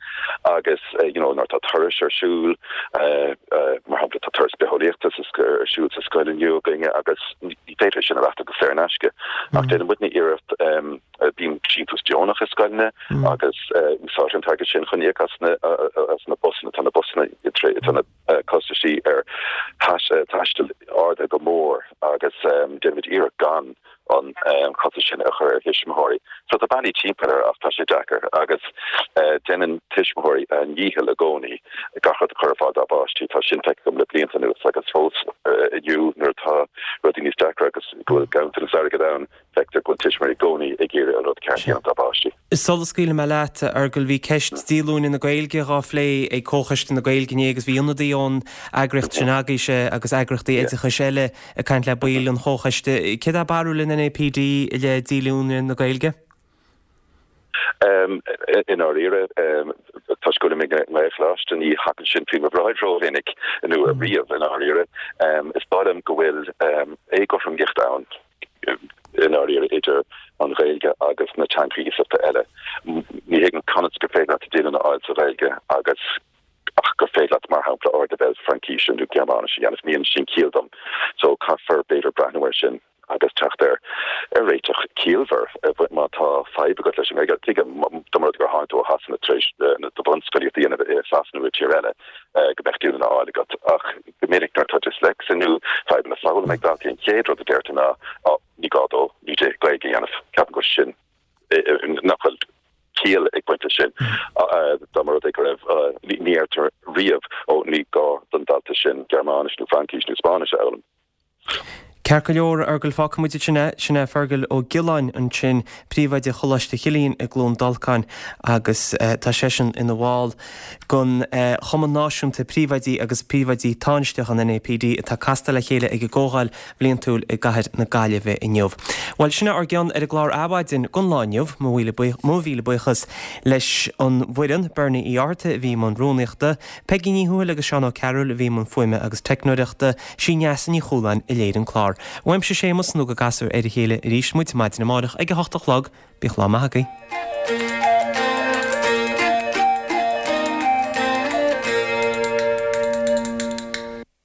agus you know nuair atá turais ar siúl, mar shampla tá turas bitheolaíochta ar siúl sa scoil inniu againne agus ní féidir é sin a reáchtáil go saor in aisce ach déanann muidne iarracht Bíonn síntiús deonach i scoileanna agus úsáidtear an t-airgead sin chun íoc as na busanna. Tá na busanna, tá na costaisí ar taisteal ardaithe go mór agus déanaimid iarracht gan. an costas sin a chur ar thuismitheoirí. So tá bealaí timpeall air ach tá sé deacair agus déanann tuismitheoirí a ndícheall i gcónaí gach rud a chur ar fáil dá bpáistí. Tá sin feicthe agam le blianta anuas agus fós inniu nuair atá rudaí níos deacra agus go bhfuil ganntanas airgid ann, feictear go bhfuil tuismitheoirí i gcónaí ag iarraidh an rud ceart a dhéanamh dá bpáistí. Sula scaoilfidh mé leat, a Fheargail, bhí ceist díolúine na Gaeilge dhá phlé ag Comhchoiste na Gaeilge inné agus bhí ionadaí ón eagraíocht sin agaibhse agus eagraíochtaí oideachais eile ag caint le baill an Chomhchoiste. Céard é barúil an NAPD i leith díolúine na Gaeilge? I ndáiríre, toisc go bhfuilim i nGaelcholáiste, ní thagann sin faoi mo bhráid rómhinic, nó riamh, i ndáiríre. Is dóigh liom go bhfuil éagothromaíocht ann, i ndáiríre, idir an Ghaeilge agus na teangacha iasachta eile. Ní thuigim conas gur féidir leat díolúine a fháil sa Ghaeilge agus ach gur féidir leat, mar shampla, ardleibhéal Fraincíse nó Gearmáinise a dhéanamh. Ní dhéanann sin ciall dom. So caithfear, b'fhéidir, breathnú air sin. agus teacht ar réiteach ciallmhar. Má tá fadhb agat leis an nGaeilge, tuigim, dá mba rud é gur tháinig tú ó Shasana tar éis do bhunscolaíocht a dhéanamh i Sasana nó i tír eile, go mbeadh díolúine á fháil agat. Ach go minic nuair atá dyslexia nó fadhbanna foghlama ag daltaí, an chéad rud a deirtear ná, Á, ní gá dó nó di Gaeilge a dhéanamh. Ceapaim go bhfuil sin, nach bhfuil ciall ag baint leis sin. Dá mba rud é go raibh, ní deirtear riamh, Ó, ní gá don dalta sin Gearmáinis nó Fraincis nó Spáinnis a fhoghlaim. Ceart go leor, a Fheargail, fágfaidh muid ansin é. Sin é Fergal Ó Giolláin ansin, Príomhoide Choláiste Chilliain i gCluain Dolcáin agus tá seisean ina bhall den Chumann Náisiúnta Príomhoidí agus Príomhoidí Tánaisteach, an NAPD, atá casta le chéile ag an gComhdháil Bhliantúil i gCathair na Gaillimhe inniu. Bhuel, sin é ár gcion ar an gclár Adhmhaidin don lá inniu. Mo mhíle buíochas leis an bhfoireann, Bernie Uí Fhátharta a bhí i mbun rúnaíochta, Peigí Ní Thuathail agus Seán Ó Cearúil a bhí i mbun fuaime agus teicneoireachta, Sí Neasa Ní Chualáin a léirigh an clár. Uaimse Séamus nó go gcasfar ar a chéile arís muid maidin amárach ag a hocht a chlog. Bíodh lá maith agaibh.